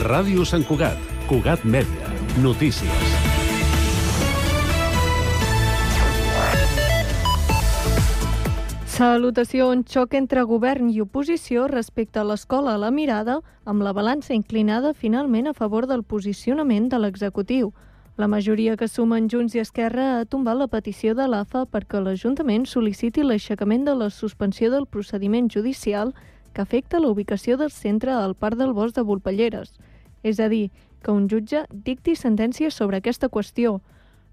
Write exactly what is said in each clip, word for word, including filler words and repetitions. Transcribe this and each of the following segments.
Ràdio Sant Cugat, Cugat Mèdia, notícies. Salutacions. Xoc entre govern i oposició respecte a l'escola a la mirada, amb la balança inclinada finalment a favor del posicionament de l'executiu. La majoria que sumen Junts i Esquerra ha tombat la petició de l'A F A perquè l'Ajuntament sol·liciti l'aixecament de la suspensió del procediment judicial que afecta la ubicació del centre al Parc del Bosc de Volpelleres. És a dir, que un jutge dicti sentència sobre aquesta qüestió.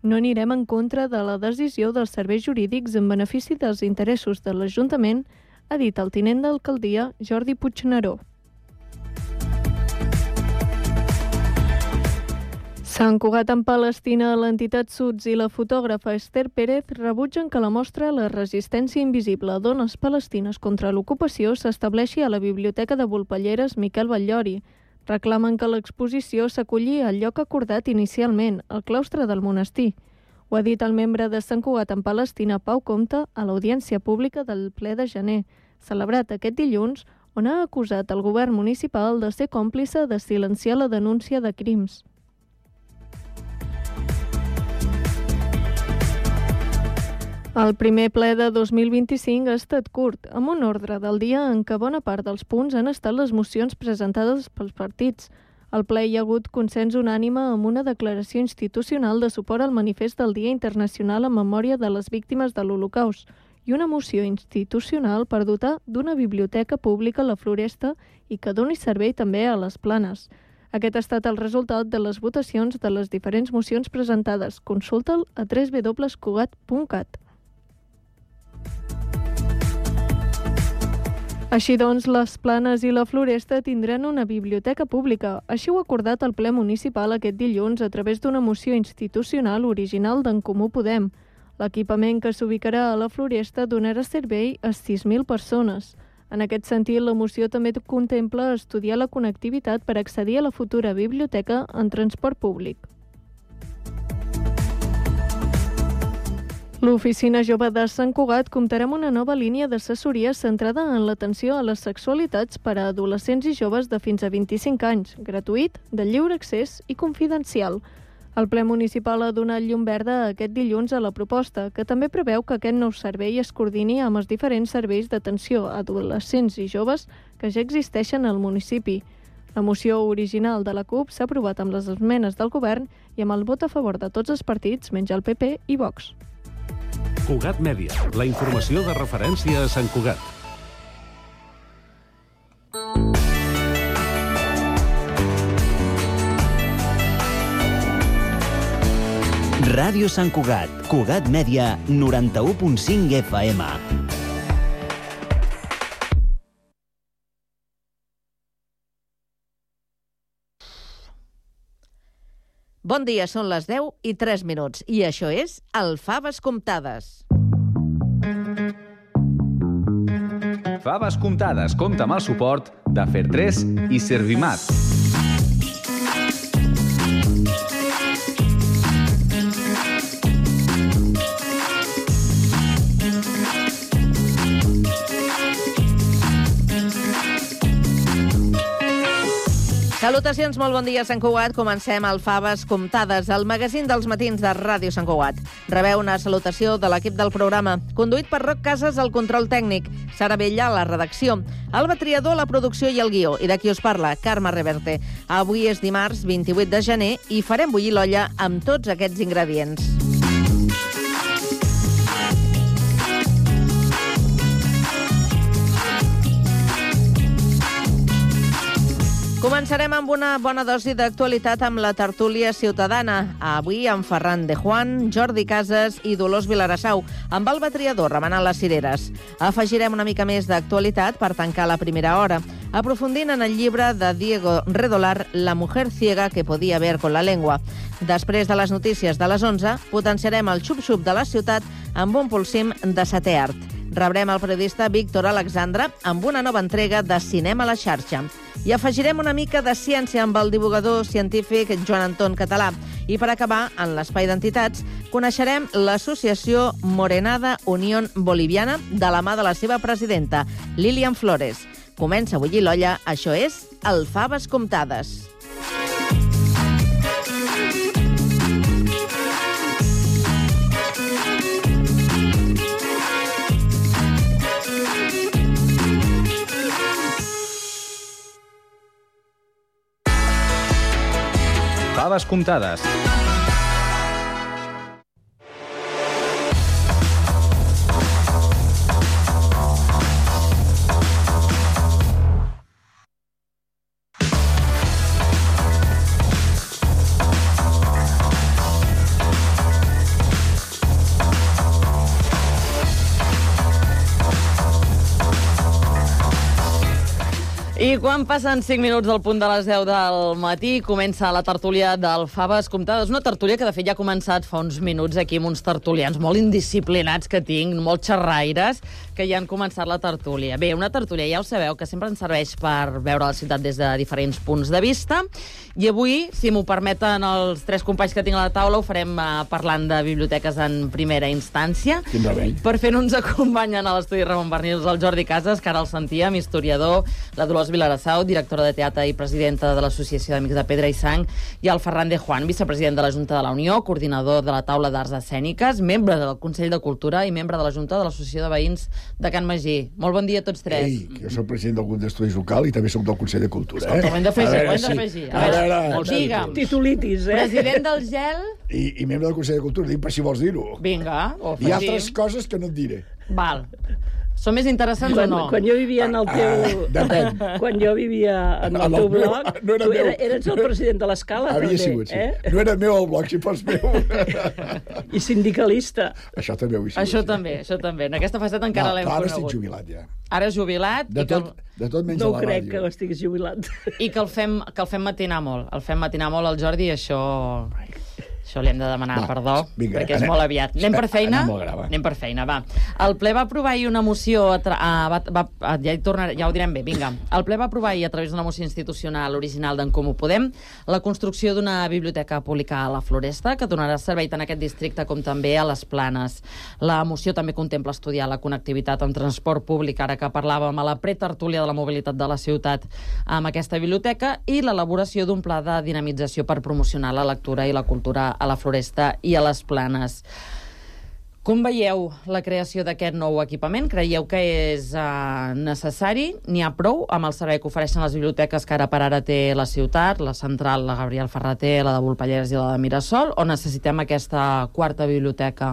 No anirem en contra de la decisió dels serveis jurídics en benefici dels interessos de l'Ajuntament, ha dit el tinent d'alcaldia Jordi Puigneró. Sant Cugat en Palestina, l'entitat Suds i la fotògrafa Esther Pérez rebutgen que la mostra La resistència invisible a dones palestines contra l'ocupació s'estableixi a la Biblioteca de Volpelleres Miquel Batllori. Reclamen que l'exposició s'acolli al lloc acordat inicialment, al claustre del monestir. Ho ha dit el membre de Sant Cugat en Palestina, Pau Comte, a l'audiència pública del ple de gener, celebrat aquest dilluns, on ha acusat el govern municipal de ser còmplice de silenciar la denúncia de crims. El primer ple de dos mil vint-i-cinc ha estat curt, amb un ordre del dia en què bona part dels punts han estat les mocions presentades pels partits. Al ple hi ha hagut consens unànime amb una declaració institucional de suport al manifest del Dia Internacional en memòria de les víctimes de l'Holocaust i una moció institucional per dotar d'una biblioteca pública a la Floresta i que doni servei també a les Planes. Aquest ha estat el resultat de les votacions de les diferents mocions presentades. Consulta'l a w w w punt cugat punt cat. Així doncs, les Planes i la Floresta tindran una biblioteca pública. Així ho ha acordat el ple municipal aquest dilluns a través d'una moció institucional original d'En Comú Podem. L'equipament que s'ubicarà a la Floresta donarà servei a sis mil persones. En aquest sentit, la moció també contempla estudiar la connectivitat per accedir a la futura biblioteca en transport públic. L'Oficina Jove de Sant Cugat comptarà amb una nova línia d'assessoria centrada en l'atenció a les sexualitats per a adolescents i joves de fins a vint-i-cinc anys, gratuït, de lliure accés i confidencial. El ple municipal ha donat llum verda aquest dilluns a la proposta, que també preveu que aquest nou servei es coordini amb els diferents serveis d'atenció a adolescents i joves que ja existeixen al municipi. La moció original de la CUP s'ha aprovat amb les esmenes del govern i amb el vot a favor de tots els partits, menys el P P i Vox. Cugat Mèdia, la informació de referència a Sant Cugat. Ràdio Sant Cugat, Cugat Mèdia, noranta-u punt cinc F M. Bon dia, són les deu i tres minuts i això és el Faves Comptades. Faves Comptades compta amb el suport de Fertres i Servimat. Salutacions, molt bon dia, Sant Cugat. Comencem el Faves Comptades, el magazín dels matins de Ràdio Sant Cugat. Rebeu una salutació de l'equip del programa, conduït per Roc Casas al control tècnic, Sara Bella a la redacció, Alba Triador a la producció i el guió, i de qui us parla, Carme Reverte. Avui és dimarts vint-i-vuit de gener i farem bullir l'olla amb tots aquests ingredients. Començarem amb una bona dosi d'actualitat amb la tertúlia ciutadana. Avui amb Ferran de Juan, Jordi Casas i Dolors Vilarassau, amb Alba Triador remenant les cireres. Afegirem una mica més d'actualitat per tancar la primera hora, aprofundint en el llibre de Diego Redolar, La mujer ciega que podía ver con la lengua. Després de les notícies de les onze, potenciarem el xup-xup de la ciutat amb un pulsim de setè art. Rebrem el periodista Víctor Alexandra amb una nova entrega de Cinema a la xarxa. I afegirem una mica de ciència amb el divulgador científic Joan Anton Català. I per acabar, en l'espai d'entitats, coneixerem l'associació Morenada Unión Boliviana de la mà de la seva presidenta, Lilian Flores. Comença a bullir l'olla, això és el Faves Comptades. Faves comptades. I quan passen cinc minuts del punt de les deu del matí, comença la tertúlia del Faves comptades. Una tertúlia que, de fet, ja ha començat fa uns minuts aquí amb uns tertulians molt indisciplinats que tinc, molt xerraires, que ja han començat la tertúlia. Bé, una tertúlia, ja ho sabeu, que sempre ens serveix per veure la ciutat des de diferents punts de vista. I avui, si m'ho permeten els tres companys que tinc a la taula, ho farem uh, parlant de biblioteques en primera instància. Quin remei. Per fer-ho ens acompanyen a l'estudi Ramon Barnils el Jordi Casas, que ara el sentíem, historiador, la Dolors Vilarassau, directora de teatre i presidenta de l'Associació d'Amics de Pedra i Sang, i el Ferran de Juan, vicepresident de la Junta de la Unió, coordinador de la Taula d'Arts Escèniques, membre del Consell de Cultura i membre de la Junta de l'Associació de Veïns de Can Magí. Molt bon dia a tots tres. Ei, que jo soc president del grup d'estudis local i també soc del Consell de Cultura, eh? Escolta, ho hem d'afegir, ho hem sí. d'afegir. A veure, Molt digue'm. Titulitis, eh? President del Gel. I, I membre del Consell de Cultura, dic per si vols dir-ho. Vinga, ho Hi ha afegim. altres coses que no et diré. Val. Són més interessants Quan, o no? quan jo vivia en el teu... Ah, depèn. Quan jo vivia en el En el teu meu- blog, no era tu meu. era, eres el president de l'Escala, Havia també, sigut, sí. eh? No era meu el blog, si fos meu. I sindicalista. Això també ho he sigut. Això sí. també, això també. En aquesta faceta encara No, l'hem clar, ara conegut. estic jubilat, ja. Ara és jubilat De i, que, tot, de tot menys No a ho la crec, que ràdio. estiguis jubilat. i que el fem, que el fem matinar molt. El fem matinar molt al Jordi i això... Això li hem de demanar Va, perdó, vinga, perquè és anem- molt aviat. Anem per feina? anem molt gra, va. Anem per feina, va. El ple va aprovar ahir una moció... A tra... ah, va, va, ah, ja, hi tornaré, ja ho direm bé, vinga. El ple va aprovar ahir, a través d'una moció institucional original d'en Comú Podem, la construcció d'una biblioteca pública a la Floresta, que donarà servei tant a aquest districte com també a les Planes. La moció també contempla estudiar la connectivitat amb transport públic, ara que parlàvem a la pretertúlia de la mobilitat de la ciutat amb aquesta biblioteca, i l'elaboració d'un pla de dinamització per promocionar la lectura i la cultura a la Floresta i a les Planes. Com veieu la creació d'aquest nou equipament? Creieu que és uh, necessari? N'hi ha prou amb el servei que ofereixen les biblioteques que ara per ara té la ciutat, la central, la Gabriel Ferrater, la de Volpellers i la de Mirasol, o necessitem aquesta quarta biblioteca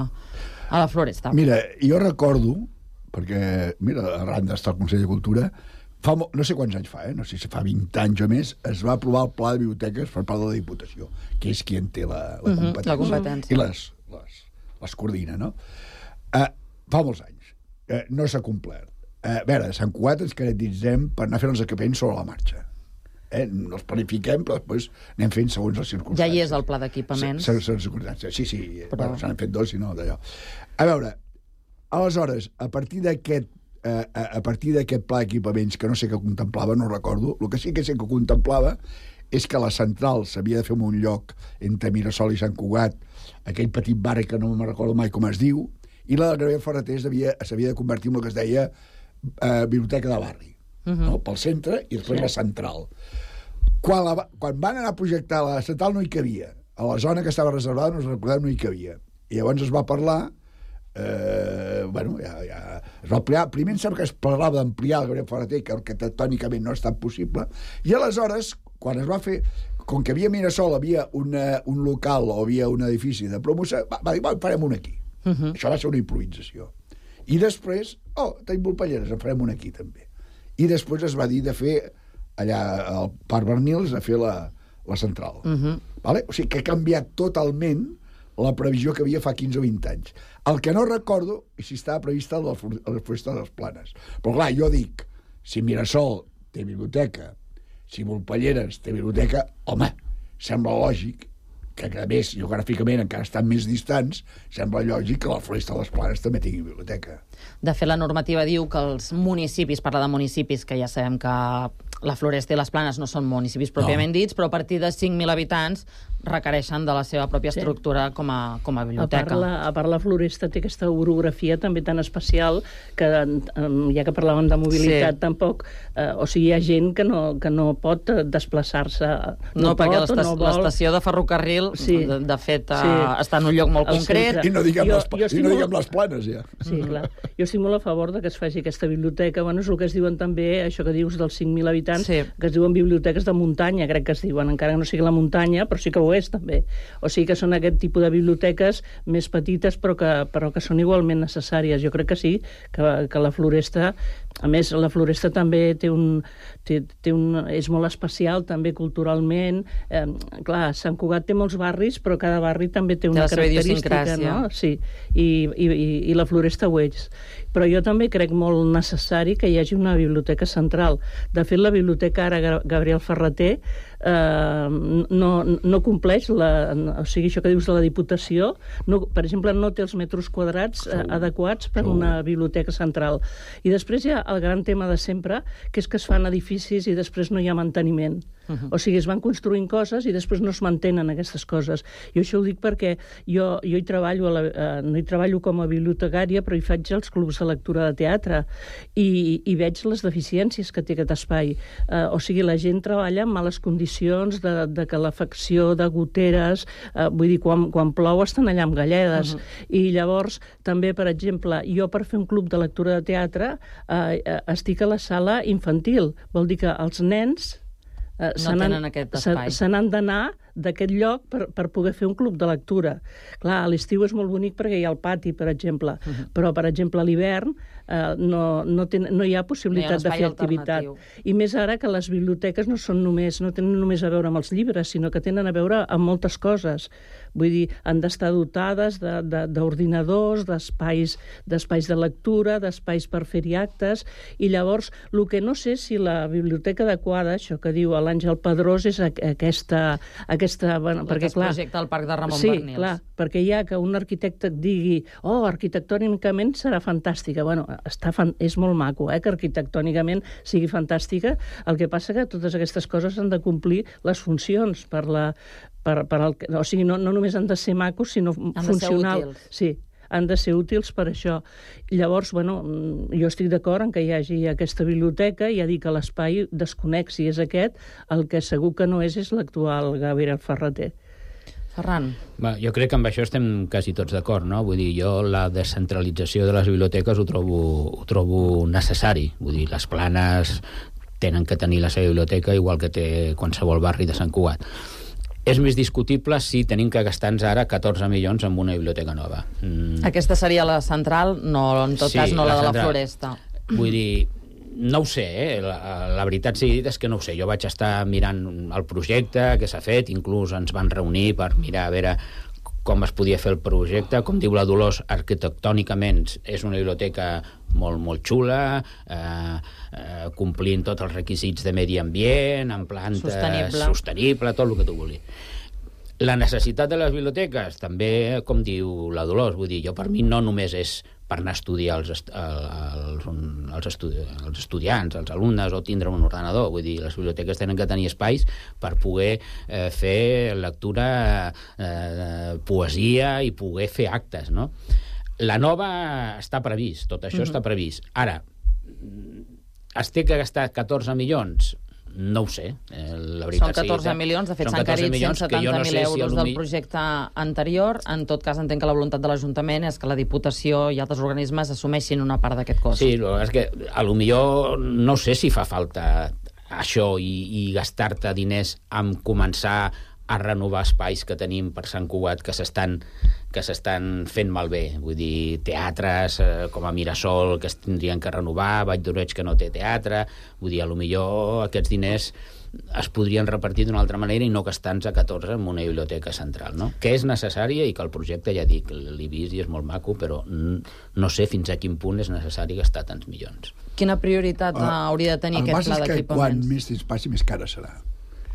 a la Floresta? Mira, jo recordo, perquè, mira, arran d'estar al Consell de Cultura, fa, mo- no sé quants anys fa, eh? no sé si fa vint anys o més, es va aprovar el Pla de Biblioteques per part de la Diputació, que és qui en té la, la, Mhm, competència, la competència. i les, les, les coordina, no? Uh, fa molts anys. Uh, no s'ha complert. Uh, a veure, a Sant Cugat ens caracteritzem per anar fent els equipaments sobre la marxa. Eh? No els planifiquem, però després anem fent segons les circumstàncies. Ja hi és el pla d'equipaments. Se- se- les circumstàncies. Sí, sí, Però- però... bueno, se n'han fet dos, si no, d'allò. A veure, aleshores, a partir d'aquest eh, a, a partir d'aquest pla d'equipaments, que no sé què contemplava, no recordo, el que sí que sé que contemplava és que la central s'havia de fer en un lloc entre Mirasol i Sant Cugat, aquell petit bar que no me'n recordo mai com es diu, i la de Gabriel Ferrater s'havia s'havia de convertir en el que es deia eh, biblioteca de barri, uh -huh. no? Pel centre i després la central. Quan, la, va- quan van anar a projectar la central no hi cabia. A la zona que estava reservada, no us recordem, no hi cabia. I llavors es va parlar, eh, bueno, ja, ja, es va ampliar. Primer em sembla que es parlava d'ampliar el Gabriel Ferrater, que arquitectònicament no ha estat possible, i aleshores, quan es va fer, com que havia a Mirasol, havia una, un local o havia un edifici de promoció, va, va dir, va, farem un aquí. Uh -huh. Això va ser una improvisació. I després, oh, tenim Volpelleres, en farem un aquí també. I després es va dir de fer allà al Parc Barnils, de fer la, la central. Uh -huh. Vale? O sigui que ha canviat totalment la previsió que havia fa quinze o vint anys. El que no recordo és si estava prevista la, la Floresta de les Planes. Però clar, jo dic, si Mirasol té biblioteca, si Volpelleres té biblioteca, home, sembla lògic que, a més, geogràficament encara estan més distants, sembla lògic que la Floresta de les Planes també tingui biblioteca. De fet, la normativa diu que els municipis, parla de municipis, que ja sabem que la Floresta i les Planes no són municipis pròpiament no. dits, però a partir de cinc mil habitants requereixen de la seva pròpia estructura sí. com, a, com a biblioteca. A part, la, a part, la Floresta té aquesta orografia també tan especial que, ja que parlàvem de mobilitat, sí. tampoc... Eh, o sigui, hi ha gent que no, que no pot desplaçar-se. No, no perquè pot, no l'estació de ferrocarril, sí. de, de fet, sí. està en un lloc molt El concret. centre. I no diguem, Jo- les, jo i estic no molt- diguem les Planes, ja. Sí, clar. Jo estic molt a favor de que es faci aquesta biblioteca. Bueno, és el que es diuen també, això que dius dels cinc mil habitants, Sí. que es diuen biblioteques de muntanya, crec que es diuen, encara que no sigui la muntanya, però sí que ho és, també. O sigui que són aquest tipus de biblioteques més petites, però que, però que són igualment necessàries. Jo crec que sí, que, que la Floresta... A més, la Floresta també té un, té, té un, és molt especial, també culturalment. Eh, clar, Sant Cugat té molts barris, però cada barri també té una característica, no? Sí, i, i, i la Floresta ho és. Però jo també crec molt necessari que hi hagi una biblioteca central. De fet, la biblioteca ara Gabriel Ferrater eh, no, no compleix, la, o sigui, això que dius de la Diputació, no, per exemple, no té els metres quadrats eh, adequats per una biblioteca central. I després hi ha el gran tema de sempre, que és que es fan edificis i després no hi ha manteniment. Uh-huh. O sigui, es van construint coses i després no es mantenen aquestes coses. Jo això ho dic perquè jo, jo hi treballo, a la, eh, no hi treballo com a bibliotecària, però hi faig els clubs de lectura de teatre i, i veig les deficiències que té aquest espai. Eh, o sigui, la gent treballa en males condicions de, de calefacció, de goteres, eh, vull dir, quan, quan plou estan allà amb galledes. Uh-huh. I llavors, també, per exemple, jo per fer un club de lectura de teatre eh, estic a la sala infantil. Vol dir que els nens Uh, no tenen aquest espai. Se n'han d'anar d'aquest lloc per, per poder fer un club de lectura. Clar, a l'estiu és molt bonic perquè hi ha el pati, per exemple, uh-huh. però, per exemple, a l'hivern eh, no, no, ten, no hi ha possibilitat no hi ha de fer activitat. I més ara que les biblioteques no són només, no tenen només a veure amb els llibres, sinó que tenen a veure amb moltes coses. Vull dir, han d'estar dotades d'ordinadors, de, de, d'espais, d'espais de lectura, d'espais per fer-hi actes, i llavors, el que no sé si la biblioteca adequada, això que diu l'Àngel Pedrós, és aquesta... aquesta bueno, perquè, clar, projecte al Parc de Ramon sí, Barnils. Sí, clar, perquè hi ha que un arquitecte et digui oh, arquitectònicament serà fantàstica. Bueno, està fan... és molt maco, eh, que arquitectònicament sigui fantàstica. El que passa que totes aquestes coses han de complir les funcions per la... Per, per el... O sigui, no, no només han de ser macos, sinó han funcional. De ser útils. Sí, han de ser útils per això. Llavors, bueno, jo estic d'acord en que hi hagi aquesta biblioteca, i ja dic que l'espai desconec si és aquest, el que segur que no és és l'actual Gabriel Ferrater. Ferran. Bé, jo crec que amb això estem quasi tots d'acord, no? Vull dir, jo la descentralització de les biblioteques ho trobo, ho trobo necessari. Vull dir, les Planes tenen que tenir la seva biblioteca igual que té qualsevol barri de Sant Cugat. És més discutible si tenim que gastar-nos ara catorze milions en una biblioteca nova. Mm. Aquesta seria la central, no, en tot sí, cas no la, la de la Floresta. Vull dir, no ho sé, eh? la, la veritat sigui dit és que no ho sé. Jo vaig estar mirant el projecte que s'ha fet, inclús ens van reunir per mirar a veure com es podia fer el projecte. Com diu la Dolors, arquitectònicament és una biblioteca molt, molt xula, eh, eh, complint tots els requisits de medi ambient, en planta sostenible. sostenible, tot el que tu vulguis. La necessitat de les biblioteques, també, com diu la Dolors, vull dir, jo per mi no només és per anar a estudiar els, est els, els, estudi els estudiants, els alumnes, o tindre un ordenador. Vull dir, les biblioteques tenen que tenir espais per poder eh, fer lectura, eh, poesia i poder fer actes, no? La nova està previst, tot això uh-huh. està previst. Ara, es té que gastar catorze milions? No ho sé. Eh, la veritat són catorze sigui, milions, de fet s'han carit cent setanta mil no euros si del projecte anterior. En tot cas, entenc que la voluntat de l'Ajuntament és que la Diputació i altres organismes assumeixin una part d'aquest cost. Sí, és que a lo millor no sé si fa falta això i, i gastar-te diners en començar a renovar espais que tenim per Sant Cugat que s'estan que s'estan fent malbé. Vull dir, teatres eh, com a Mirasol que es tindrien que renovar, Vall d'Oreig que no té teatre. Vull dir, a lo millor aquests diners es podrien repartir d'una altra manera i no gastar-nos a catorze en una biblioteca central, no? Que és necessària i que el projecte, ja dic, l'he vist i és molt maco, però no sé fins a quin punt és necessari gastar tants milions. Quina prioritat uh, hauria de tenir aquest pla d'equipaments? El que quan més temps passi, més cara serà.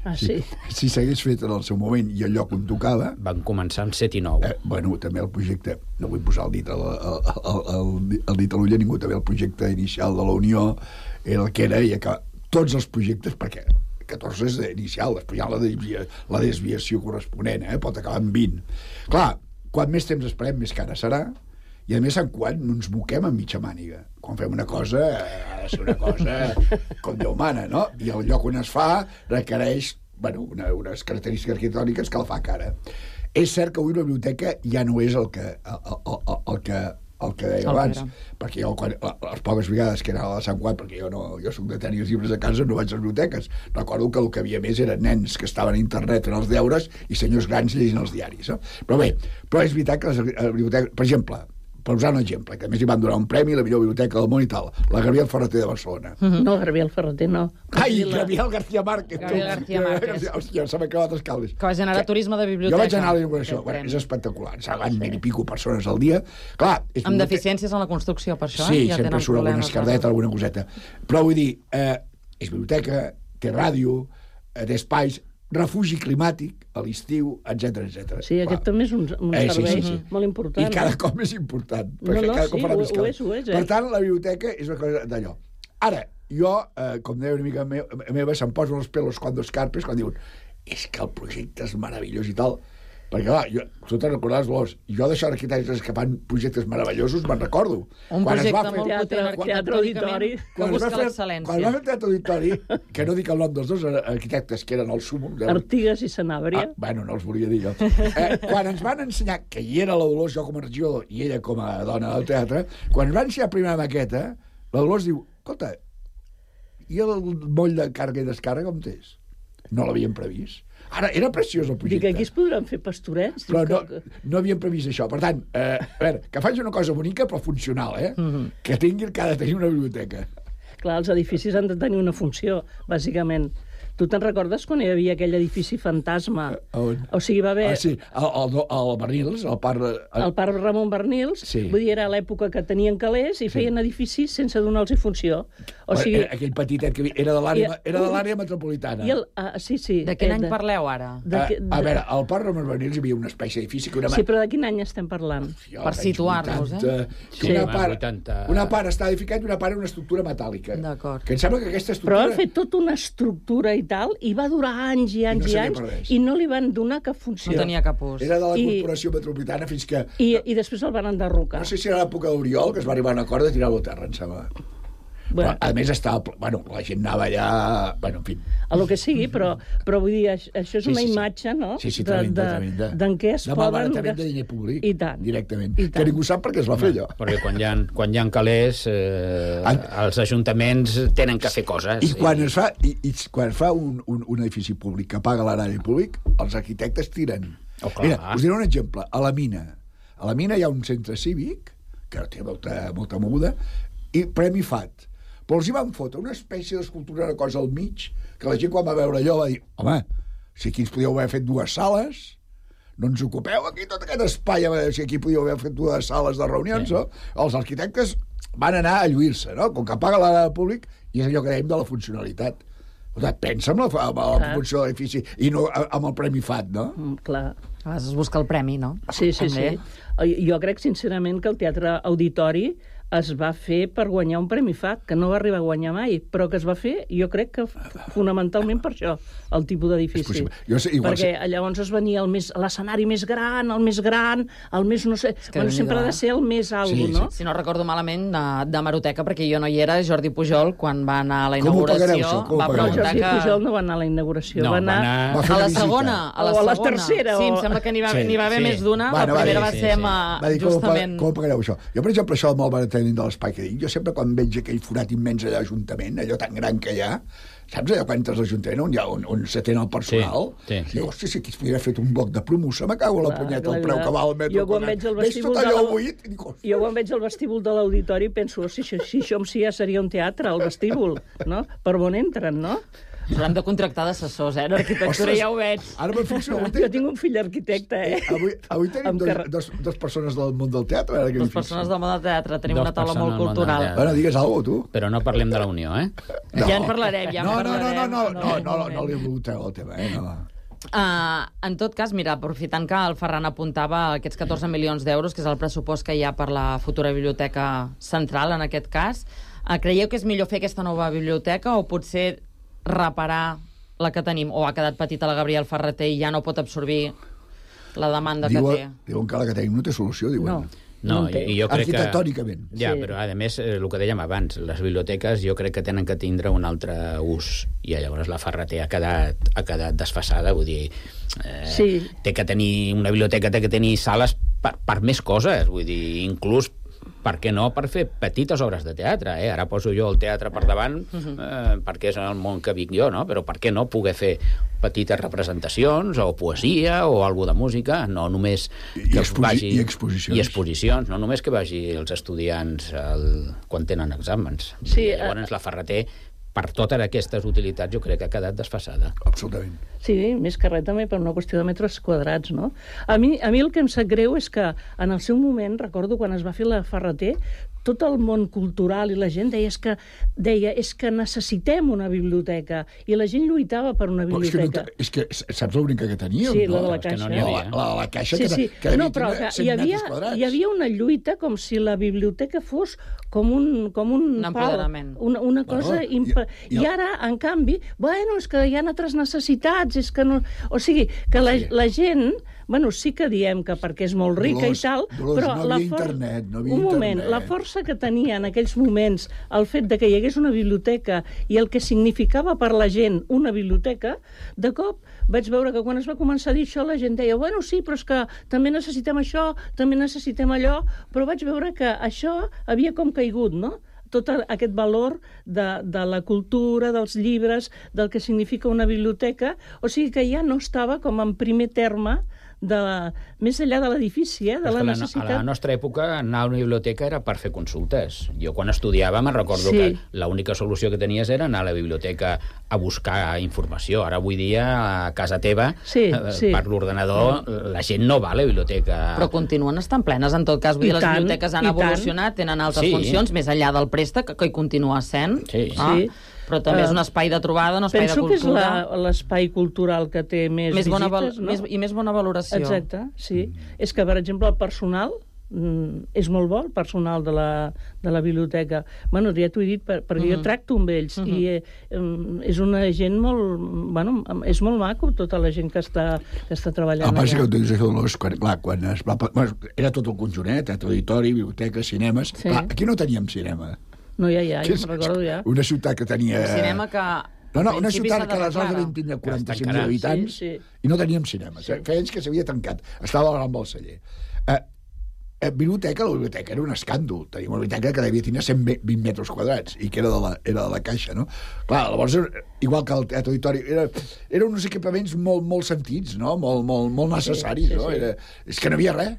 Ah, sí? Si s'hagués fet en el seu moment i el lloc on tocava... Van començar en set i nou. Eh, bueno, també el projecte... No vull posar el dit, el, el, el, el, el dit a l'ull a ningú, també el projecte inicial de la Unió era el que era i acaba... Tots els projectes, perquè catorze és inicial, després hi ha la, desvia, la desviació corresponent, eh? Pot acabar en vint. Clar, quan més temps esperem, més cara serà, i a més en quan no ens moquem en mitja màniga. Quan fem una cosa, ha de ser una cosa com Déu mana, no? I el lloc on es fa requereix, bueno, una, unes característiques arquitectòniques que el fa cara. És cert que avui la biblioteca ja no és el que, el, el, el que el que deia El abans, Pere. perquè jo, quan, les poques vegades que anava a la Sant Cugat, perquè jo, no, jo soc de tenir els llibres a casa, no vaig a les biblioteques. Recordo que el que havia més eren nens que estaven a internet fent els deures i senyors grans llegint els diaris. No? Però bé, però és veritat que les biblioteques... Per exemple, per usar un exemple, que a més hi van donar un premi a la millor biblioteca del món i tal, la Gabriel Ferreter de Barcelona. Mm-hmm. No, Gabriel Ferreter, no. Ai, la... Gabriel García Márquez. Gabriel García Márquez. Hòstia, se m'ha acabat els cables. Que va generar turisme de biblioteca. Jo vaig anar a la inauguració. Bueno, és espectacular. Ens van mil i pico persones al dia. Clar, és Amb deficiències en la construcció, per això, sí, eh? Ja sempre tenen surt alguna problemes, escardeta, alguna coseta. Però vull dir, eh, és biblioteca, té ràdio, eh, té espais, refugi climàtic a l'estiu, etcètera, etcètera. Sí, aquest també és un, un Eh, sí, servei sí, sí. molt important. I cada cop més important. No, Perquè no, cada sí, cop farà ho- més ho calor. és, ho és, eh? Per tant, la biblioteca és una cosa d'allò. Ara, jo, eh, com deia una mica me meva, se'm posen els pelos cuando escarpes, quan diuen és que el projecte és meravellós i tal. Perquè, clar, jo, tu te'n recordaràs, Dolors, jo d'això d'arquitectes que fan projectes meravellosos me'n recordo. Un Quan es projecte va fer- molt Teatre- potent teatre auditori. arquitectònicament que quan es va busca fer- Quan es va l'excel·lència. fer el teatre auditori, que no dic el nom dels dos arquitectes, que eren el súmum... De... Artigas i Sanàbria. Ah, bueno, no els volia dir jo. Eh, quan ens van ensenyar, que hi era la Dolors, jo com a regidor, i ella com a dona del teatre, quan ens van ensenyar la primera maqueta, la Dolors diu, escolta, i el moll de càrrega i descàrrega com és? No l'havien previst. Ara, era preciós el Dic, projecte. aquí es podran fer pastorets. Però no, Dic, no havien previst això. Per tant, eh, a veure, que faci una cosa bonica però funcional, eh? Mhm. Mm-hmm. Que tingui, que ha de tenir una biblioteca. Clar, els edificis han de tenir una funció, bàsicament. Tu te'n recordes quan hi havia aquell edifici fantasma? On? O sigui, va haver... Ah, sí, el, el, el Bernils, el parc... El... El parc Ramon Bernils, Sí. vull dir, era l'època que tenien calés i feien edificis sense donar-los funció. O sigui, Era aquell petitet que era de l'àrea I- era de l'àrea metropolitana. i el, ah, sí, sí. De quin eh, any parleu, ara? de a, que- a de- veure, al parc Ramon Bernils hi havia una espècie d'edifici que una... Sí, però de quin any estem parlant? Jo, Per als anys situar-nos, eh? vuitanta, que Sí, una, home, part, vuitanta. una part està edificat i una part era una estructura metàl·lica. D'acord. Que em sembla que aquesta Però estructura... han fet tota una estructura i tal, i va durar anys i anys no i, servia anys, per res. i no li van donar cap funció. No tenia cap ús. Era de la I- corporació metropolitana fins que... I, I després el van enderrocar. No sé si era l'època d'Oriol, que es va arribar a un acord de tirar-lo a terra, em sembla. Bueno, Però, a més, estava... ple- Bueno, la gent anava allà... Bueno, en fi... a lo que sigui, però, però vull dir, això, això és Sí, una sí, sí. imatge, no? Sí, sí, de, tremenda, de, tremenda. d'en què es de poden... malbaratament de gas- diner públic. I tant. Directament. I tant. Que ningú sap per què es va fer allò. Perquè quan hi ha, quan hi ha calés, eh, En- els ajuntaments tenen que fer coses. I quan es fa, i, i quan es fa un, un, un edifici públic que paga l'erari públic, els arquitectes tiren. Oh, clar. Mira, us diré un exemple. A la mina. A la mina hi ha un centre cívic, que té molta, molta moguda, i Premi F A T. Però els hi van fotre una espècie d'escultura, una cosa al mig, que la gent quan va veure allò va dir, home, si aquí ens podíeu haver fet dues sales, no ens ocupeu aquí tot aquest espai, si aquí podíeu haver fet dues sales de reunions, sí. No? Els arquitectes van anar a lluir-se, no? Com que paga l'ara públic, i és allò que dèiem de la funcionalitat. Pensa en la, en la funció de l'edifici i no amb el Premi F A T, no? Mm, clar. A vegades es busca el premi, no? Sí, sí, També. sí. Jo crec, sincerament, que el Teatre Auditori es va fer per guanyar un Premi F A T, que no va arribar a guanyar mai, però que es va fer, jo crec que fonamentalment per això, el tipus d'edifici. Jo sé, igual Perquè sé- llavors es venia el més- l'escenari més gran, el més gran, el més, no sé... que Bueno, sempre ha de Déu-n'hi-do, ser el més alt, Sí, sí. no? Si no recordo malament, de, de Maroteca, perquè jo no hi era, Jordi Pujol, quan va anar a la Com ho pagareu, inauguració, això? Com ho va pagareu? No, preguntar Jordi que... Pujol no va anar a la inauguració, No, va va anar... anar- Va fer A una la visita. segona, a la O a la segona. tercera, Sí, o- em sembla que n'hi va, Sí, n'hi va haver sí. més d'una. Bueno, La va, primera sí, va sí, ser sí. amb, eh, Va dir, com ho, pa- justament... com ho pagareu, això? Jo, per exemple, això del malbaratament de l'espai que dic, jo sempre quan veig aquell forat immens allà a l'Ajuntament, allò tan gran que hi ha, saps allò quan entres a l'Ajuntament on, hi ha, on, on s'atén el personal? Sí, sí. Dic, hòstia, si aquí es podria haver fet un bloc de promoció, me cago a la Clar, punyeta, clar, el preu clar. que val el metro Jo quan quadrat. veig el Veig vestíbul tot de allò la- buit i dic, hòstia. Jo quan veig el vestíbul de l'auditori penso, si, si, si això si ja seria un teatre, el vestíbul, no? Per on entren, no? Haurem de contractar d'assessors, eh? D'arquitectura, Ostres, ja ho veig. Ara me'n fixo, avui, Jo tenim, tinc un fill arquitecte, eh? avui, avui tenim Amb dos, carre- dos, dos persones del món del teatre. Ara que Les m'hi fixo. persones del món del teatre, tenim Dos una taula persones molt del món del cultural. teatre. Bueno, digues alguna cosa, tu. Però no parlem de la Unió, eh? No. Ja en parlarem, ja en no, no, no, parlarem. no, no, no, en no, un no, no li he moment. volgut treure el tema, eh? No. Uh, en tot cas, mira, aprofitant que el Ferran apuntava aquests catorze milions d'euros, que és el pressupost que hi ha per la futura biblioteca central, en aquest cas, uh, creieu que és millor fer aquesta nova biblioteca o potser reparar la que tenim, o ha quedat petita la Gabriel Ferreter i ja no pot absorbir la demanda que té? Diuen, diuen que la que tenim no té solució, diuen. No. No, No en té. i, i jo crec que... Arquitectònicament. Ja, Sí. però a més, eh, el que dèiem abans, les biblioteques jo crec que tenen que tindre un altre ús, i llavors la Ferreter ha quedat, ha quedat desfasada, vull dir... Eh, Sí. Té que tenir, una biblioteca té que tenir sales per, per més coses, vull dir, inclús per què no per fer petites obres de teatre, eh? Ara poso jo el teatre per davant eh, perquè és el món que vic jo, no? Però per què no poder fer petites representacions o poesia o alguna de música, no només I, que exposi vagi... I exposicions. I exposicions, no només que vagi els estudiants el... quan tenen exàmens. Sí, I llavors la Ferreter, per totes aquestes utilitats, jo crec que ha quedat desfasada. Absolutament. Sí, més que res també per una qüestió de metres quadrats, no? A mi, a mi el que em sap greu és que en el seu moment, recordo quan es va fer la Ferreter, tot el món cultural i la gent deia és que, deia, és que necessitem una biblioteca, i la gent lluitava per una biblioteca. Oh, és, que no, és que saps l'única que teníem? Sí, no? la de la caixa. No n'hi havia. La, la, la caixa sí, que, sí. que no, però que hi havia, hi havia una lluita com si la biblioteca fos com un, com un, un empoderament. Una, una cosa... Bueno, imp... i, i, I ara, en canvi, bueno, és que hi ha altres necessitats, és que no... O sigui, que la, la gent... Bueno, sí que diem que perquè és molt rica Dolors, i tal, Dolors, però no la havia for... internet, no havia un moment, internet. la força que tenia en aquells moments el fet de que hi hagués una biblioteca i el que significava per la gent una biblioteca, de cop vaig veure que quan es va començar a dir això la gent deia, bueno, sí, però és que també necessitem això, també necessitem allò, però vaig veure que això havia com caigut, no? Tot aquest valor de, de la cultura, dels llibres, del que significa una biblioteca, o sigui que ja no estava com en primer terme de la, més enllà de l'edifici, eh, de la necessitat. A la nostra època anar a una biblioteca era per fer consultes. Jo quan estudiava me'n recordo Sí. que l'única solució que tenies era anar a la biblioteca a buscar informació. Ara avui dia a casa teva, Sí, eh, sí. per l'ordenador, la gent no va a la biblioteca. Però continuen estant plenes, en tot cas. Vull I dir, les tant, biblioteques han i tant. evolucionat, tenen altres Sí. funcions, més enllà del préstec, que hi continua sent. Sí. Ah, Sí. Però també és Eh, un espai de trobada, un espai de Penso que és cultura. la- l'espai cultural que té més, Més bona val- visites, no? més, I més bona valoració. Exacte, sí. És que, per exemple, el personal mm, és molt bo, el personal de la, de la biblioteca. Bueno, ja t'ho he dit, per, perquè Mhm. jo tracto amb ells, Mhm. i eh, em, és una gent molt... Bueno, és molt maco, tota la gent que està, que està treballant El que passa allà. que ho dius això, Dolors, quan, clar, quan es va... Bueno, era tot el conjunt, teatre, auditori, biblioteca, cinemes... Sí. Clar, aquí no teníem cinema. No, ja, ja, Que ja me'n recordo ja. Una ciutat que tenia... Un cinema que... No, no, en una principi ciutat s'ha que aleshores d'arreglar. devien tindre quaranta-cinc mil tancarà. habitants Sí, sí. i no teníem cinema. Sí. Feia anys que s'havia tancat. Estava al Gran Balceller. Eh, eh, biblioteca, la biblioteca era un escàndol. Teníem una biblioteca que devia tenir cent vint metres quadrats i que era de la, era de la caixa, no? Clar, llavors, igual que el teatre auditori, era, eren uns equipaments molt, molt sentits, no? Molt, molt, molt necessaris, Sí, sí, no? sí. Era, és que no havia res.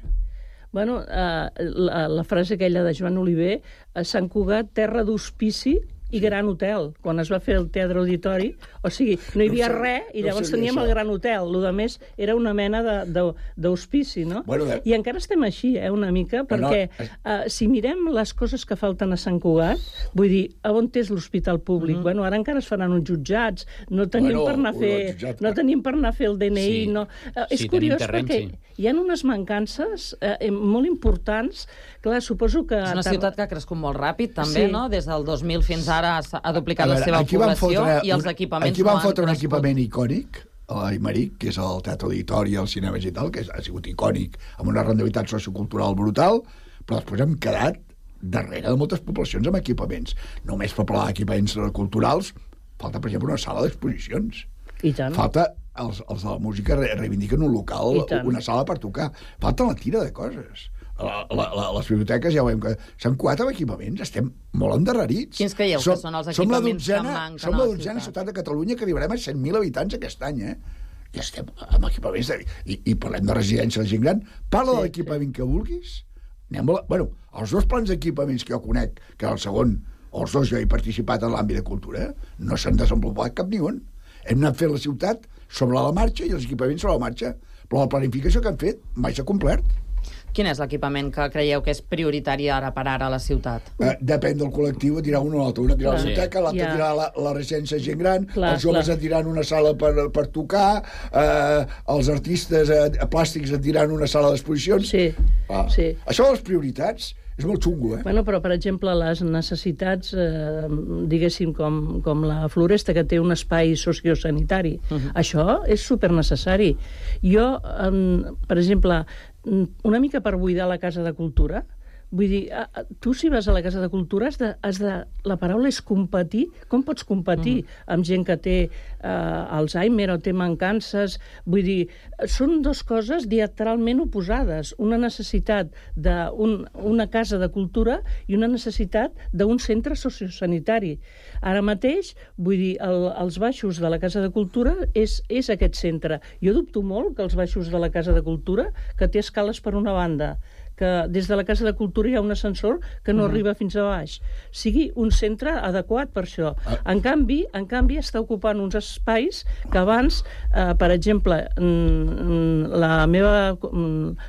Bueno, eh, la, la frase aquella de Joan Oliver, a Sant Cugat, terra d'hospici i gran hotel, quan es va fer el teatre auditori, o sigui, no hi havia No sé, res, i no llavors sabia teníem això. el gran hotel, el de més era una mena de- de- d'hospici, no? Bueno, de- I encara estem així, eh, una mica, perquè no, eh, si mirem les coses que falten a Sant Cugat, vull dir, a on és l'hospital públic? Mm-hmm. Bueno, ara encara es faran uns jutjats, no tenim Bueno, per anar a fer, el jutjat- no tenim per anar a fer el D N I, Sí. no... Eh, és Sí, tenim curiós terreny, perquè sí. hi ha unes mancances eh, molt importants. Clar, suposo que... És una ciutat que ha crescut molt ràpid, també, Sí. no? Des del dos mil fins ara ha ha duplicat A la veure, seva aquí van població fotre i els un- equipaments Aquí van no han fotre un crescut. equipament icònic, a l'Aimeric, que és el teatre auditori, els cinemes i tal, que ha sigut icònic, amb una rendibilitat sociocultural brutal, però després hem quedat darrere de moltes poblacions amb equipaments. Només per parlar d'equipaments culturals, falta, per exemple, una sala d'exposicions. I tant. Falta, els, els de la música re- reivindiquen un local, I tant. una sala per tocar. Falta la tira de coses. La, la, la, les biblioteques ja veiem que s'han coat amb equipaments, estem molt endarrerits. Quins creieu que són els som la equipaments que dotzena, manquen Som a la la dotzena ciutat? ciutat de Catalunya que arribarem a cent mil habitants aquest any, eh? I estem amb equipaments de... I, i parlem de residència de gent gran. Parla Sí, de l'equipament que vulguis. Anem a la... Bueno, els dos plans d'equipaments que jo conec, que era el segon, els dos jo he participat en l'àmbit de cultura, no s'han desenvolupat cap ni un. Hem anat fent la ciutat sobre la marxa i els equipaments sobre la marxa, però la planificació que han fet mai s'ha complert. Quin és l'equipament que creieu que és prioritari ara per ara a la ciutat? Eh, depèn del col·lectiu, et dirà un o l'altre. Un et dirà la Clar. biblioteca, l'altre Ja. et dirà la, la residència de gent gran, Clar, els joves clar. et diran una sala per, per tocar, eh, els artistes eh, plàstics et diran una sala d'exposicions. Sí, Ah, sí. Això de les prioritats és molt xungo, eh? Bueno, però, per exemple, les necessitats, eh, diguéssim, com, com la Floresta, que té un espai sociosanitari, uh -huh. això és supernecessari. Jo, eh, per exemple, una mica per buidar la Casa de Cultura, Vull dir, tu si vas a la Casa de Cultura has de... Has de la paraula és competir. Com pots competir mm. amb gent que té eh, Alzheimer o té mancances? Vull dir, són dues coses diametralment oposades. Una necessitat d'una casa de cultura i una necessitat d'un centre sociosanitari. Ara mateix, vull dir, el, els baixos de la Casa de Cultura és, és aquest centre. Jo dubto molt que els baixos de la Casa de Cultura, que té escales per una banda, que des de la Casa de Cultura hi ha un ascensor que no uh -huh. arriba fins a baix, sigui un centre adequat per això. Uh. En canvi, en canvi està ocupant uns espais que abans, eh, per exemple, la meva,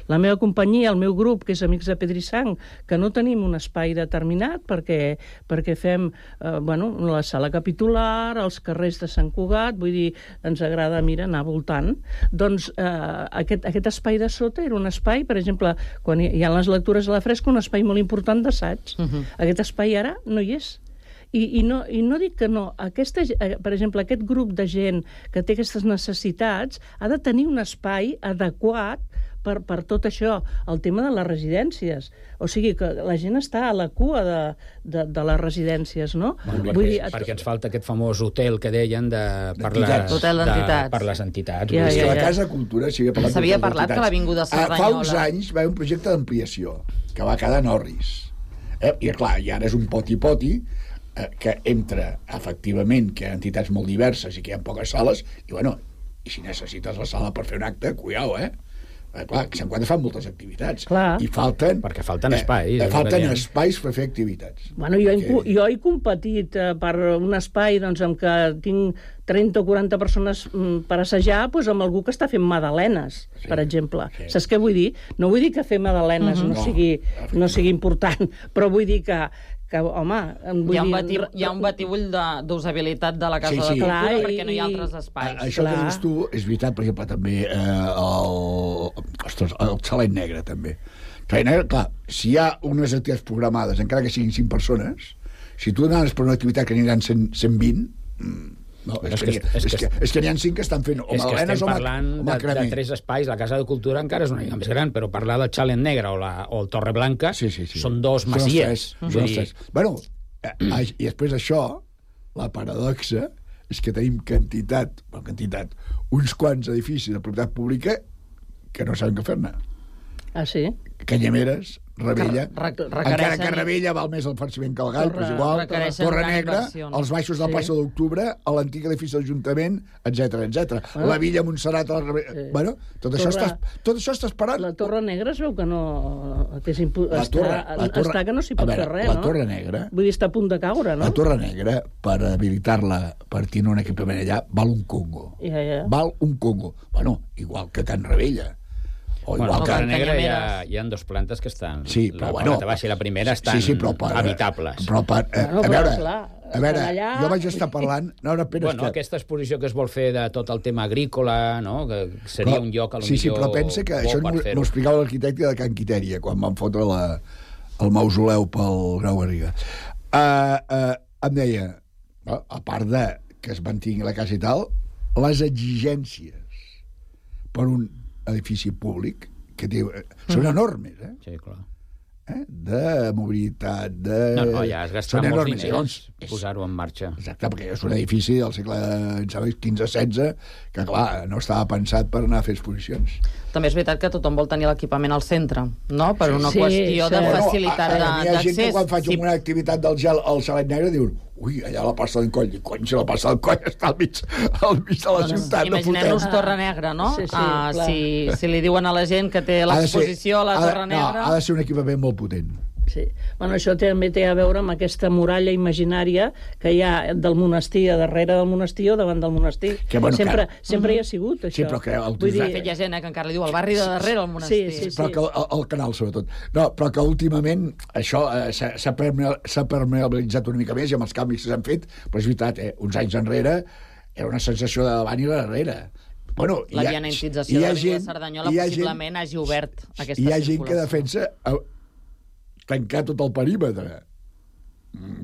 la meva companyia, el meu grup, que és Amics de Pedrisang, que no tenim un espai determinat perquè, perquè fem eh, bueno, la sala capitular, els carrers de Sant Cugat, vull dir, ens agrada, mira, anar voltant. Doncs eh, aquest, aquest espai de sota era un espai, per exemple, quan hi hi ha les lectures a la fresca, un espai molt important d'assaig. Uh -huh. Aquest espai ara no hi és. I, i, no, I no dic que no. Aquesta, per exemple, aquest grup de gent que té aquestes necessitats ha de tenir un espai adequat per, per tot això, el tema de les residències. O sigui, que la gent està a la cua de, de, de les residències, no? Bueno, perquè, Vull dir, perquè ens falta aquest famós hotel que deien de, per, les, hotel de, per les entitats. Ja, ja, ja. La Casa de Cultura s'havia parlat, s'havia parlat que l'Avinguda Cerdanyola... Fa uns anys va haver un projecte d'ampliació que va quedar en orris. Eh? I, clar, i ara és un poti-poti eh, que entra, efectivament, que hi ha entitats molt diverses i que hi ha poques sales, i, bueno, i si necessites la sala per fer un acte, cuidao, eh? Eh, clar, que Sant Cugat fan moltes activitats. Clar. I falten... Perquè falten espais. Eh, falten espais per fer activitats. Bueno, jo, que... jo he competit eh, per un espai doncs, en què tinc trenta o quaranta persones mm, per assajar, doncs, amb algú que està fent magdalenes, sí, per exemple. Sí. Saps què vull dir? No vull dir que fer magdalenes uh-huh. no, no, sigui, no sigui important, però vull dir que que, home... Vull hi, ha un dir, bati, hi ha un batibull d'usabilitat de, de la Casa sí, sí. de Cultura Clar, perquè no hi ha altres espais. A, això Clar. que dius tu és veritat, per exemple, també eh, el, ostres, el Xalet Negre, també. Xalet Negre, clar, si hi ha unes activitats programades, encara que siguin cinc persones, si tu anaves per una activitat que aniran cent, cent vint... No, és, és, que, que, és, que, és que n'hi ha cinc que estan fent o magdalenes o parlant de, de tres espais. La Casa de Cultura encara és una mica més gran, però parlar del Xalet Negre o, la, o el Torre Blanca sí, sí, sí. són dos masies. Són els tres. Bueno, eh, i després d'això, la paradoxa és que tenim quantitat, bueno, quantitat, uns quants edificis de propietat pública que no saben què fer-ne. Ah, sí? Canyameres, Rebella, re encara que Rebella val més el farciment que el gall, però és igual, Torre Negra, els baixos de la plaça sí. d'Octubre, l'antic edifici de l'Ajuntament, etcètera, etcètera. Ah. La Villa Montserrat, la Rebella... Sí. Bueno, tot, Torre... això està, tot això està esperant. La Torre Negra es veu que no... Que impu... la torre, està, la torre... està que no s'hi pot veure, fer res, la no? La Torre Negra... Vull dir, està a punt de caure, no? La Torre Negra, per habilitar-la, per tenir un equipament allà, val un congo. Ja, ja. Val un congo. Bueno, igual que Can Rebella. O bueno, igual que a Negra hi ha, hi ha dos plantes que estan... Sí, però la bueno... La baixa i la primera estan sí, sí, però per, habitables. Però per, eh, bueno, a veure, clar, a veure allà... jo vaig estar parlant... No, no, bueno, que... aquesta exposició que es vol fer de tot el tema agrícola, no? Que seria però, un lloc, a lo sí, millor... Sí, però pensa que això m'ho explicava l'arquitecte de Can Quitèria, quan van fotre la, el mausoleu pel Grau Garriga. Uh, uh, em deia, a part de que es mantingui la casa i tal, les exigències per un edifici públic que té, són enormes, eh? Sí, clar. Eh? De mobilitat, de... No, no, ja has gastat molts diners doncs, posar-ho en marxa. Exacte, perquè és un edifici del segle quinze setze que, clar, no estava pensat per anar a fer exposicions. També és veritat que tothom vol tenir l'equipament al centre, no? Per una sí, qüestió sí. de Bueno, facilitat d'accés. Hi ha gent que quan faig sí. una activitat del gel al Xalet Negre diuen ui, allà la passa del coll. I cony, si la passa del coll està al mig, al mig de la doncs, ciutat. Imaginem-nos Torre Negra, no? Sí, sí, ah, si, si li diuen a la gent que té l'exposició a la Torre Negra... No, ha de ser un equipament molt potent. Sí. Bueno, això també té a veure amb aquesta muralla imaginària que hi ha del monestir, a darrere del monestir o davant del monestir. Que, bueno, sempre que... sempre hi ha sigut, això. Sí, però que... El... Vull dir... De fet, hi ha gent eh, que encara li diu el barri de darrere del monestir. Sí, sí, sí. Però que el, el canal, sobretot. No, però que últimament això eh, s'ha permeabilitzat una mica més i amb els canvis que s'han fet, però és veritat, eh, uns anys enrere era una sensació de davant i de darrere. Bueno, la vianantització de l'Avinguda Cerdanyola possiblement gent, hagi obert aquesta circulació. Hi ha gent que defensa tancar tot el perímetre.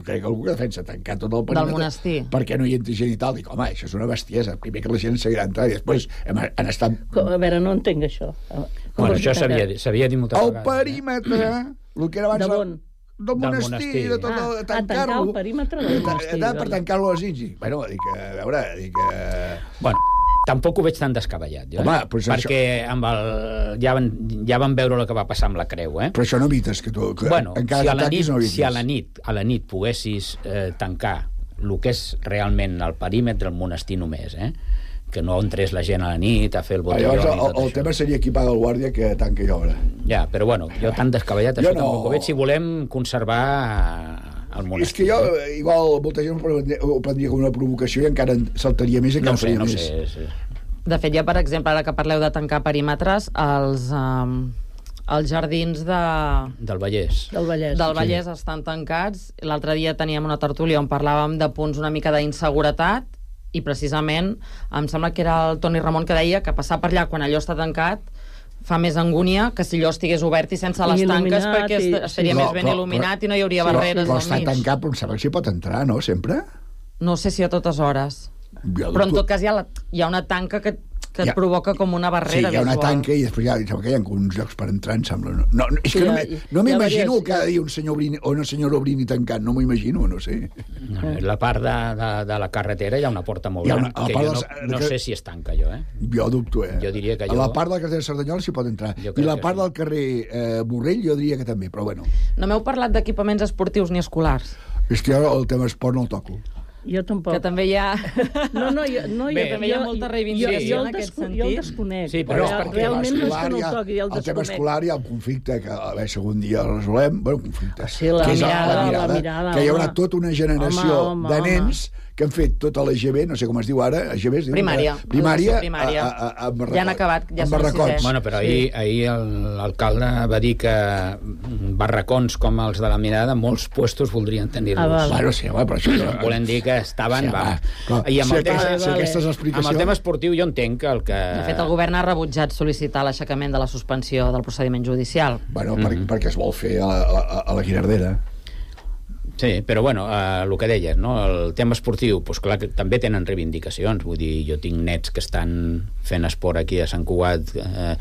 Crec que algú que defensa tancar tot el perímetre del monestir perquè no hi entri gent i tal. Dic, home, això és una bestiesa. Primer que la gent seguirà entrant i després hem, han estat... A veure, no entenc això. Com bueno, això s'havia dit moltes el vegades. El perímetre, el que era abans... De bon? Del monestir, monestir. de tot, Ah, de a tancar tancar-lo. el perímetre del monestir. Era per vale. tancar-lo als Ingi. Bueno, dic, a veure, dic... Eh... Bueno, tampoc ho veig tan descabellat, jo, Home, eh? pues perquè amb el... ja, van, ja van veure el que va passar amb la creu, eh? Però això no evites que tu... Que Bueno, encara si a, la t'ataquis, nit, no evites. si a la nit a la nit poguessis eh, tancar el que és realment el perímetre del monestir només, eh? Que no entrés la gent a la nit a fer el Ah, botelló llavors, i el, tot el això. tema seria equipar el guàrdia que tanca i obre. Ja, però bueno, jo tan descabellat Jo això no. tampoc ho veig si volem conservar el És monestir. que jo, eh, igual, molta gent ho prendria, ho prendria com una provocació i encara en saltaria més i No encara ho sé, faria no ho més. sé. Sí. De fet, ja, per exemple, ara que parleu de tancar perímetres, els, um, els jardins de, Del Vallès. Del Vallès. del Vallès estan tancats. L'altre dia teníem una tertúlia on parlàvem de punts una mica d'inseguretat i precisament em sembla que era el Toni Ramon que deia que passar per allà quan allò està tancat fa més angúnia que si allò estigués obert i sense les tanques, Il·luminat perquè i- est- estaria sí. més Però- ben però- il·luminat i no hi hauria Però, barreres però al està mig. tancat, però em sembla que s'hi pot entrar, no?, sempre? No sé si a totes hores. Jo Però en dubto. tot cas hi ha, la, hi ha una tanca que, que et Hi ha- provoca com una Sí, barrera hi ha una visual. tanca i després hi ha, em sembla que hi ha uns llocs per entrar, em sembla. No, no, és Sí, que no, hi ha- m'hi- no hi ha m'imagino diversos- cada dia un senyor obrint, o una senyora obrint i tancant, no m'ho imagino, no sé. La part de, de, de la carretera hi ha una porta molt Hi ha gran, una- a la que part jo no, dels- no que- sé si es tanca, jo, eh? Jo dubto, eh? Jo diria que A jo- la part del carrer de Cerdanyola s'hi pot entrar. Jo I crec la que part sí. del carrer eh, Borrell jo diria que també, però bueno. No m'heu parlat d'equipaments esportius ni escolars, És que jo el tema esport no el toco. Jo tampoc. que també hi ha... No, no, jo, no, Bé, jo, també hi ha jo- molta jo- reivindicació jo, en el aquest desco- Jo el sentit. desconec. Sí, però Real- és perquè realment no és l'escolar que no hi ha- el toqui, jo el el tema desconec. escolar hi ha un conflicte que a veure si algun dia el resolem. Bueno, conflicte. Sí, la que és mirada, la mirada, que hi haurà home. tota una generació Home, home, de home. nens que han fet tota la G B, no sé com es diu ara, G B es diu? Primària. Primària, Educació primària. A, a, a, amb Ja han barracot- acabat, ja amb són barracots. sisè. Bueno, però ahir, ahir el- l'alcalde va dir que barracons com els de la Mirada molts puestos voldrien tenir-los. Ah, val. Bueno, sí, home, però això... Volem dir que estaven... Sí, va. va, però I amb si el, tema, aquesta- si aquesta és amb l'explicació- el tema esportiu jo entenc que el que... De fet, el govern ha rebutjat sol·licitar l'aixecament de la suspensió del procediment judicial. Bueno, per, Mhm. perquè es vol fer a, a, a la Guinardera. Sí, però bueno, eh, el que deies, no? El tema esportiu, doncs clar que també tenen reivindicacions, vull dir, jo tinc nets que estan fent esport aquí a Sant Cugat eh,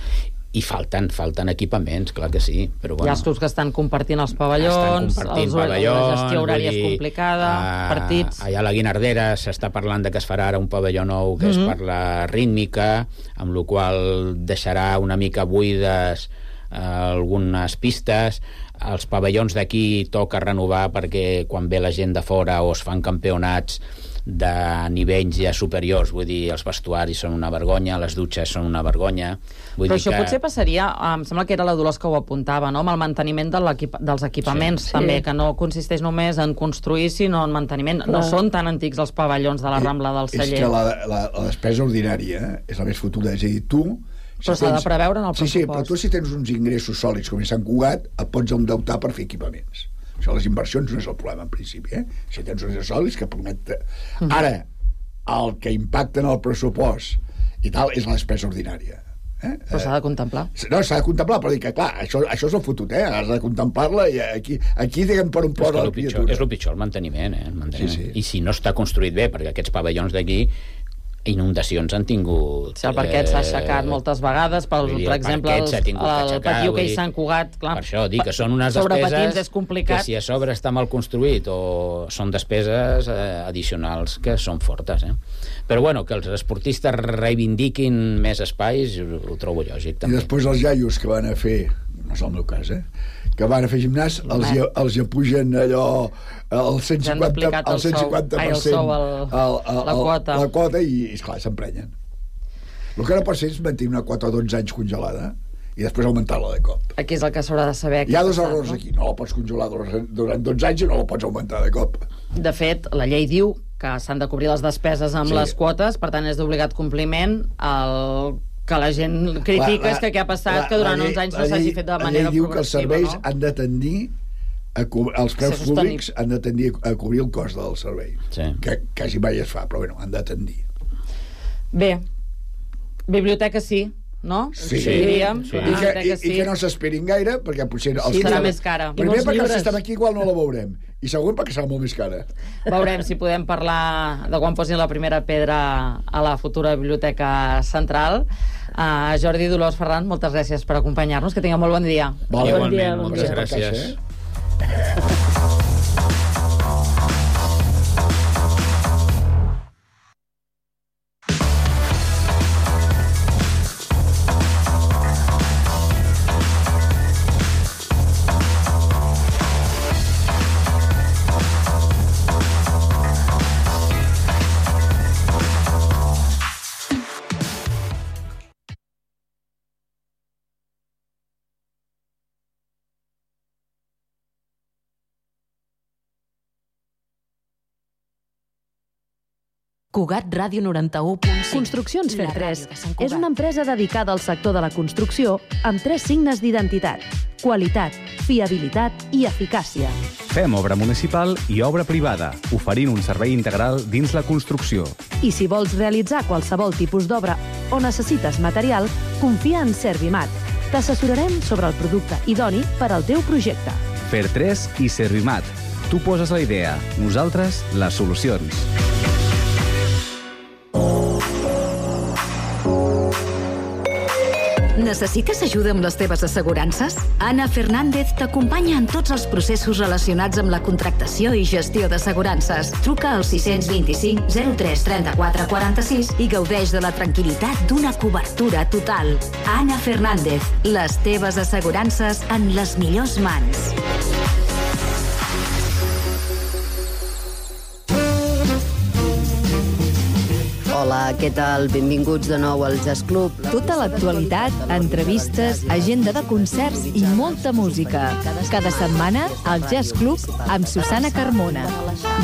i falten, falten equipaments, clar que sí, però Hi bueno... ha els clubs que estan compartint els estan pavellons, compartint els, pavellons, la gestió horària vull és dir, complicada, eh, partits... Allà a la Guinardera s'està parlant de que es farà ara un pavelló nou que Mhm. és per la rítmica, amb la qual deixarà una mica buides eh, algunes pistes. Els pavellons d'aquí toca renovar perquè quan ve la gent de fora o es fan campionats de nivells ja superiors, vull dir, els vestuaris són una vergonya, les dutxes són una vergonya. Vull Però dir això que... potser passaria, em sembla que era la Dolors que ho apuntava, no? Amb el manteniment de l'equip dels equipaments, Sí. també, Sí. que no consisteix només en construir, sinó en manteniment. No Clar. són tan antics els pavellons de la Rambla del És Celler. que la, la, la despesa ordinària és la més fotuda. És a dir, tu... Però s'ha de preveure en el Sí, sí, però pressupost. tu si tens uns ingressos sòlids com a Sant Cugat, et pots endeutar per fer equipaments. Això, les inversions no és el problema, en principi, eh? Si tens uns ingressos sòlids que permet... Mhm. Ara, el que impacta en el pressupost i tal és la despesa ordinària. Eh? Però s'ha de contemplar. No, s'ha de contemplar, però dic que, clar, això, això és el fotut, eh? Has de contemplar-la i aquí, aquí diguem per un És, plor que a la el pitjor, criatura. és el pitjor, el manteniment, eh? El manteniment. Sí, sí. I si no està construït bé, perquè aquests pavellons d'aquí inundacions han tingut... Si el parquet s'ha aixecat moltes vegades, per, vull dir, per el exemple, parquet el, s'ha tingut que el aixecar, patiu vull que hi dir, s'han Cugat, clar, Per això, dic que són unes sobre despeses patins és complicat. que si a sobre està mal construït o són despeses eh, addicionals que són fortes, eh? Però bueno, que els esportistes reivindiquin més espais, ho, ho trobo lògic, I també. després els iaios que van a fer, no és el meu cas, eh? que van a fer gimnàs, els, hi, els hi pugen allò el cent Ja han cinquanta, duplicat el el cent cinquanta sou. Ai, per el cent sou, el- la quota. la quota i, esclar, s'emprenyen. El que no pot ser és mantenir una quota dotze anys congelada i després augmentar-la de cop. Aquí és el que s'haurà de saber. Hi ha què dos passat, errors no? aquí. No la pots congelar durant dotze anys i no la pots augmentar de cop. De fet, la llei diu que s'han de cobrir les despeses amb Sí. les quotes, per tant és d'obligat compliment. El que la gent critica és que què ha passat, que durant llei- uns anys la no s'hagi llei- fet de la manera llei diu que els progressiva, serveis no? han de tendir a co els preus Ser sostenible. públics han de tendir a cobrir el cost del servei. Sí. Que quasi mai es fa, però bueno, han de tendir. Bé, biblioteca sí, no? Sí. Diríem, Sí. I, que, i, biblioteca i sí. que no s'esperin gaire, perquè potser... Els Sí, que serà estem- més cara. Primer I molts perquè els que llibres. estem aquí igual no la veurem. i següent perquè serà molt més cara. Veurem si podem parlar de quan posin la primera pedra a la futura Biblioteca Central. Uh, Jordi, Dolors, Ferran, moltes gràcies per acompanyar-nos. Que tingueu molt bon dia. Vale, bon dia, Igualment, bon moltes dia. gràcies. Eh? Cugat Ràdio noranta-u punt cinc. Construccions Fer La tres ràdio de Sant és Cugat. una empresa dedicada al sector de la construcció amb tres signes d'identitat: qualitat, fiabilitat i eficàcia. Fem obra municipal i obra privada, oferint un servei integral dins la construcció. I si vols realitzar qualsevol tipus d'obra o necessites material, confia en Servimat. T'assessorarem sobre el producte idoni per al teu projecte. Fer tres i Servimat. Tu poses la idea, nosaltres les solucions. Necessites ajuda amb les teves assegurances? Anna Fernández t'acompanya en tots els processos relacionats amb la contractació i gestió d'assegurances. Truca al sis dos cinc zero tres trenta-quatre quaranta-sis i gaudeix de la tranquil·litat d'una cobertura total. Anna Fernández, les teves assegurances en les millors mans. Hola, què tal? Benvinguts de nou al Jazz Club. Tota l'actualitat, entrevistes, agenda de concerts i molta música. Cada setmana, al Jazz Club amb Susana Carmona.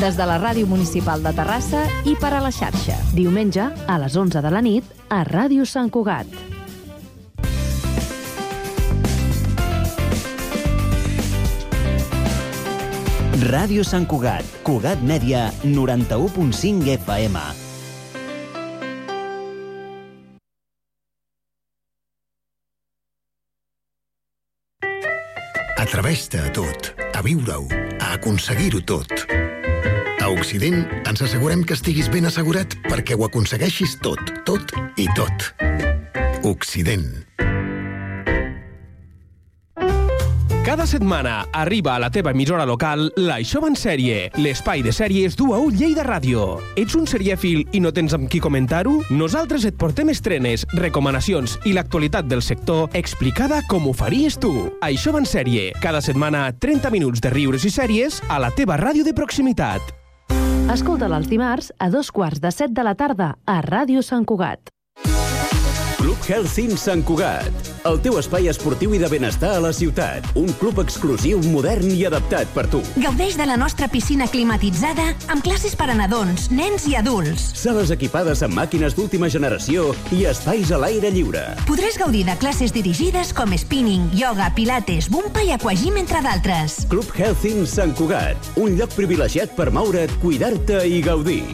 Des de la Ràdio Municipal de Terrassa i per a la xarxa. Diumenge, a les onze de la nit, a Ràdio Sant Cugat. Ràdio Sant Cugat, Cugat Mèdia, noranta-u punt cinc F M. Atreveix-te a tot, a viure-ho, a aconseguir-ho tot. A Occident ens assegurem que estiguis ben assegurat perquè ho aconsegueixis tot, tot i tot. Occident. Cada setmana arriba a la teva emissora local l'Això va en sèrie, l'espai de sèries d'U A U Lleida Ràdio. Ets un serièfil i no tens amb qui comentar-ho? Nosaltres et portem estrenes, recomanacions i l'actualitat del sector explicada com ho faries tu. Això va en sèrie, cada setmana trenta minuts de riures i sèries a la teva ràdio de proximitat. Escolta-la els dimarts a dos quarts de set de la tarda a Ràdio Sant Cugat. Club Healthing Sant Cugat, el teu espai esportiu i de benestar a la ciutat. Un club exclusiu, modern i adaptat per tu. Gaudeix de la nostra piscina climatitzada amb classes per a nadons, nens i adults. Sales equipades amb màquines d'última generació i espais a l'aire lliure. Podràs gaudir de classes dirigides com spinning, yoga, pilates, bumpa i aquagym, entre d'altres. Club Healthing Sant Cugat, un lloc privilegiat per moure't, cuidar-te i gaudir.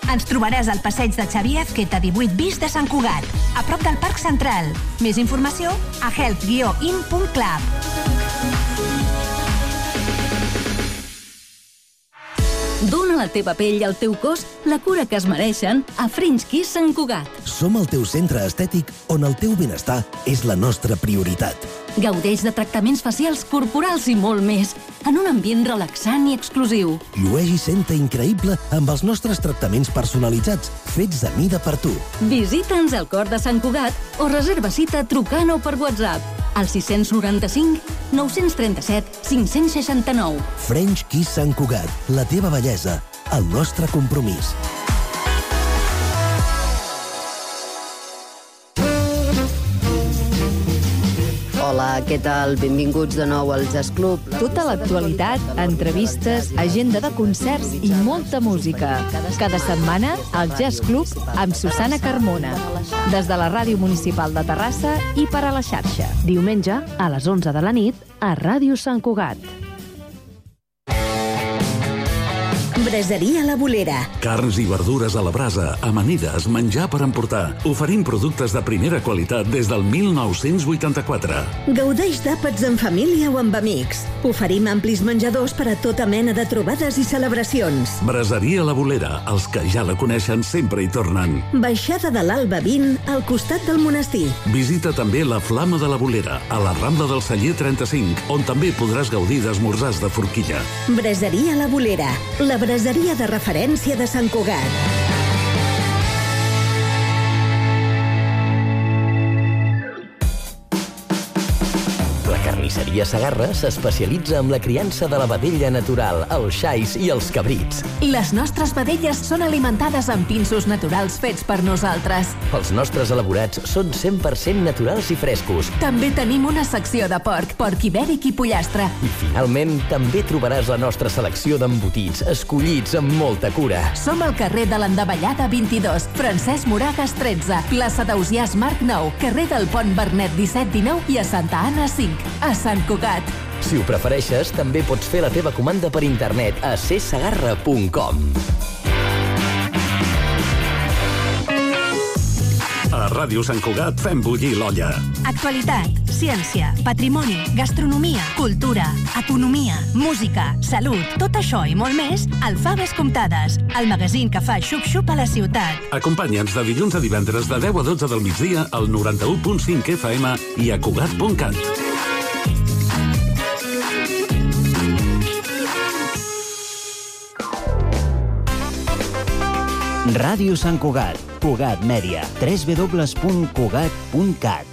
Ens trobaràs al passeig de Xavier Azqueta divuit bis de Sant Cugat, a prop del Parc Central. Més informació a health guió in punt club. Dóna a la teva pell i al teu cos la cura que es mereixen a French Kiss Sant Cugat. Som el teu centre estètic on el teu benestar és la nostra prioritat. Gaudeix de tractaments facials, corporals i molt més, en un ambient relaxant i exclusiu. Llueix i senta increïble amb els nostres tractaments personalitzats, fets a mida per tu. Visita'ns al cor de Sant Cugat o reserva cita trucant o per WhatsApp al sis noranta-cinc nou trenta-set cinc seixanta-nou. French Kiss Sant Cugat, la teva bellesa, el nostre compromís. Hola, què tal? Benvinguts de nou al Jazz Club. Tota l'actualitat, entrevistes, agenda de concerts i molta música. Cada setmana, al Jazz Club amb Susana Carmona. Des de la Ràdio Municipal de Terrassa i per a la xarxa. Diumenge, a les onze de la nit, a Ràdio Sant Cugat. Braseria La Bolera. Carns i verdures a la brasa, amanides, menjar per emportar. Oferim productes de primera qualitat des del mil nou-cents vuitanta-quatre. Gaudeix d'àpats en família o amb amics. Oferim amplis menjadors per a tota mena de trobades i celebracions. Braseria La Bolera. Els que ja la coneixen sempre hi tornen. Baixada de l'Alba vint, al costat del monestir. Visita també la Flama de la Bolera, a la Rambla del Celler trenta-cinc, on també podràs gaudir d'esmorzars de forquilla. Braseria La Bolera. La braseria de referència de Sant Cugat. La carnisseria Segarra s'especialitza en la criança de la vedella natural, els xais i els cabrits. Les nostres vedelles són alimentades amb pinsos naturals fets per nosaltres. Els nostres elaborats són cent per cent naturals i frescos. També tenim una secció de porc, porc ibèric i pollastre. I finalment també trobaràs la nostra selecció d'embotits, escollits amb molta cura. Som al carrer de l'Endavellada vint-i-dos, Francesc Moragas tretze, plaça d'Ausiàs Marc nou, carrer del Pont Vernet disset dinou i a Santa Anna cinc, a Sant Cugat. Si ho prefereixes, també pots fer la teva comanda per internet a c segarra punt com. A Ràdio Sant Cugat fem bullir l'olla. Actualitat, ciència, patrimoni, gastronomia, cultura, economia, música, salut, tot això i molt més al Faves Comptades, el magazín que fa xup-xup a la ciutat. Acompanya'ns de dilluns a divendres de deu a dotze del migdia al noranta-u punt cinc F M i a cugat punt cat. Ràdio Sant Cugat, Cugat Mèdia, w w w punt cugat punt cat.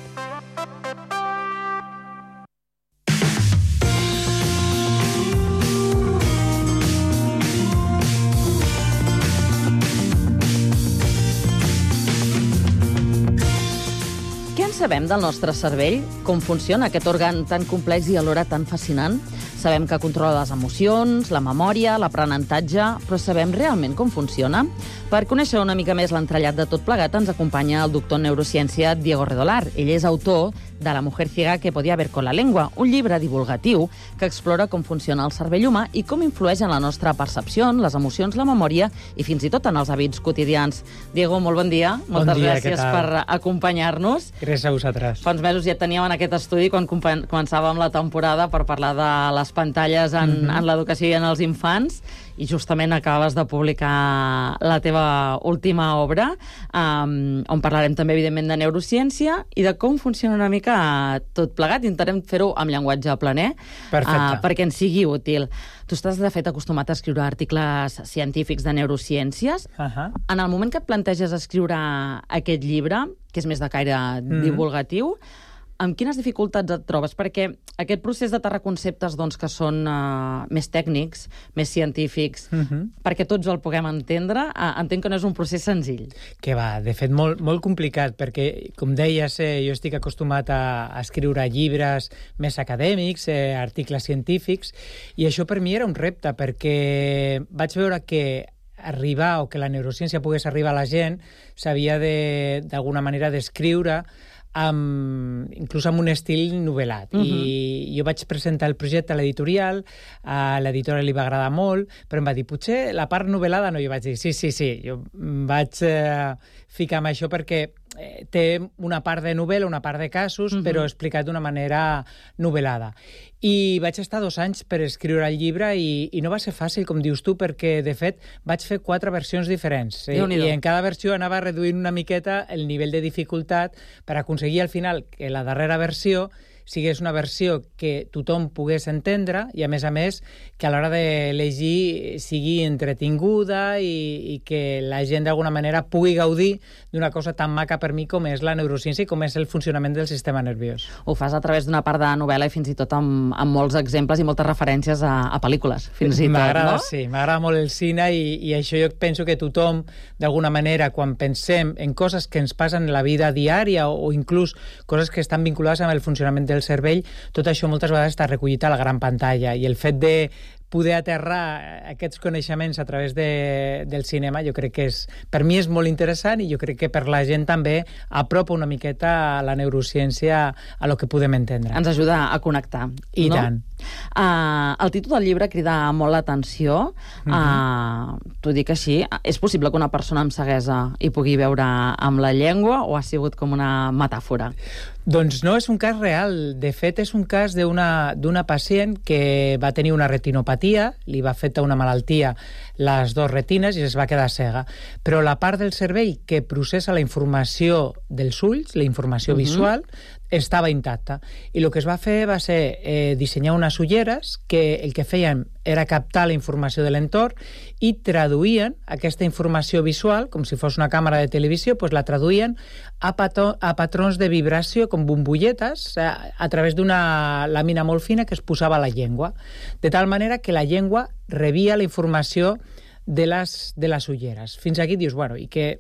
Què en sabem del nostre cervell? Com funciona aquest òrgan tan complex i alhora tan fascinant? Sabem que controla les emocions, la memòria, l'aprenentatge, però sabem realment com funciona? Per conèixer una mica més l'entrellat de tot plegat ens acompanya el doctor en neurociència Diego Redolar. Ell és autor de La mujer ciega que podía ver con la lengua, un llibre divulgatiu que explora com funciona el cervell humà i com influeix en la nostra percepció, les emocions, la memòria i fins i tot en els hàbits quotidians. Diego, molt bon dia. Bon Moltes dia, gràcies per acompanyar-nos. Gràcies a vosaltres. Fa uns mesos ja teníem en aquest estudi quan començàvem la temporada per parlar de les pantalles en, mm-hmm. en l'educació i en els infants, i justament acabes de publicar la teva última obra, um, on parlarem també, evidentment, de neurociència i de com funciona una mica tot plegat. Intentarem fer-ho amb llenguatge planer, uh, perquè ens sigui útil. Tu estàs, de fet, acostumat a escriure articles científics de neurociències. Uh-huh. En el moment que et planteges escriure aquest llibre, que és més de caire mm-hmm. divulgatiu, amb quines dificultats et trobes? Perquè aquest procés d'aterrar conceptes doncs, que són uh, més tècnics, més científics, uh-huh. perquè tots el puguem entendre, uh, entenc que no és un procés senzill. Que va, de fet, molt, molt complicat, perquè, com deies, eh, jo estic acostumat a, a escriure llibres més acadèmics, eh, articles científics, i això per mi era un repte, perquè vaig veure que arribar, o que la neurociència pogués arribar a la gent, s'havia de, d'alguna manera d'escriure amb, inclús amb un estil novel·lat. Uh-huh. I jo vaig presentar el projecte a l'editorial, a l'editora li va agradar molt, però em va dir, potser la part novel·lada no. Jo vaig dir, sí, sí, sí. Jo vaig eh, ficar amb això perquè eh, té una part de novel·la, una part de casos, uh-huh. però explicat d'una manera novel·lada. I vaig estar dos anys per escriure el llibre i, i no va ser fàcil, com dius tu, perquè, de fet, vaig fer quatre versions diferents. Eh? I en cada versió anava reduint una miqueta el nivell de dificultat per aconseguir al final que la darrera versió sigués una versió que tothom pogués entendre i, a més a més, que a l'hora de llegir sigui entretinguda i, i que la gent d'alguna manera pugui gaudir d'una cosa tan maca per mi com és la neurociència i com és el funcionament del sistema nerviós. Ho fas a través d'una part de novel·la i fins i tot amb, amb molts exemples i moltes referències a, a pel·lícules, fins i tot, m'agrada, no? Sí, m'agrada molt el cine i, i això jo penso que tothom, d'alguna manera, quan pensem en coses que ens passen en la vida diària o, o inclús coses que estan vinculades amb el funcionament del cervell, tot això moltes vegades està recollit a la gran pantalla, i el fet de poder aterrar aquests coneixements a través de, del cinema, jo crec que és, per mi és molt interessant, i jo crec que per la gent també apropa una miqueta la neurociència a lo que podem entendre. Ens ajuda a connectar, I no? tant. Uh, el títol del llibre crida molt l'atenció. Uh, uh, T'ho dic així. És possible que una persona amb ceguesa hi pugui veure amb la llengua o ha sigut com una metàfora? Doncs no, és un cas real. De fet, és un cas d'una pacient que va tenir una retinopatia, li va afectar una malaltia les dues retines i es va quedar cega. Però la part del cervell que processa la informació dels ulls, la informació uh-huh. visual, estava intacta. I el que es va fer va ser eh, dissenyar unes ulleres que el que feien era captar la informació de l'entorn i traduïen aquesta informació visual, com si fos una càmera de televisió, doncs la traduïen a, pató, a patrons de vibració, com bombolletes, a, a través d'una làmina molt fina que es posava a la llengua, de tal manera que la llengua rebia la informació de les, de les ulleres. Fins aquí dius, bueno, i que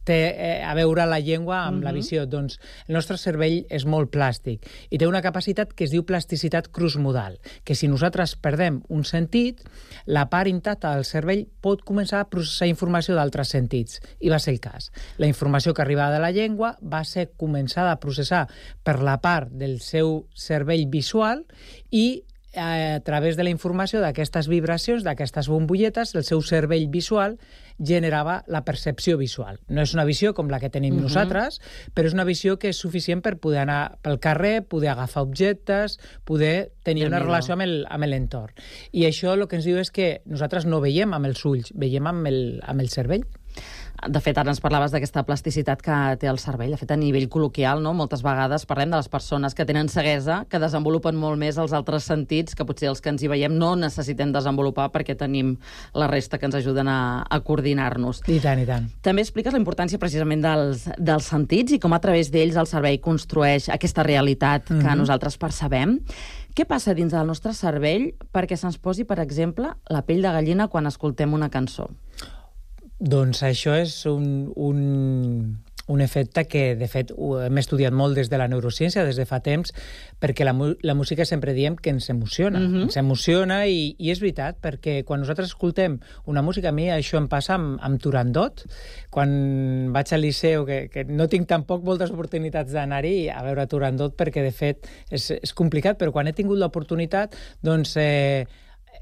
té eh, a veure la llengua amb uh-huh. la visió. Doncs el nostre cervell és molt plàstic i té una capacitat que es diu plasticitat cruzmodal, que si nosaltres perdem un sentit, la part intacta del cervell pot començar a processar informació d'altres sentits, i va ser el cas. La informació que arribava de la llengua va ser començada a processar per la part del seu cervell visual i a través de la informació d'aquestes vibracions, d'aquestes bombolletes, el seu cervell visual generava la percepció visual. No és una visió com la que tenim uh-huh. nosaltres, però és una visió que és suficient per poder anar pel carrer, poder agafar objectes, poder tenir una relació amb l'entorn. I això el que ens diu és que nosaltres no veiem amb els ulls, veiem amb el, amb el cervell. De fet, ara ens parlaves d'aquesta plasticitat que té el cervell. De fet, a nivell col·loquial, no? Moltes vegades parlem de les persones que tenen ceguesa, que desenvolupen molt més els altres sentits, que potser els que ens hi veiem no necessitem desenvolupar perquè tenim la resta que ens ajuden a, a coordinar-nos. I tant, i tant. També expliques la importància precisament dels, dels sentits i com a través d'ells el cervell construeix aquesta realitat que mm-hmm. nosaltres percebem. Què passa dins del nostre cervell perquè se'ns posi, per exemple, la pell de gallina quan escoltem una cançó? Doncs això és un, un, un efecte que, de fet, hem estudiat molt des de la neurociència, des de fa temps, perquè la, la música sempre diem que ens emociona. Uh-huh. Ens emociona i, i és veritat, perquè quan nosaltres escoltem una música, a mi això em passa amb, amb Turandot, quan vaig al liceu, que, que no tinc tampoc moltes oportunitats d'anar-hi a veure Turandot, perquè, de fet, és, és complicat, però quan he tingut l'oportunitat, doncs... Eh,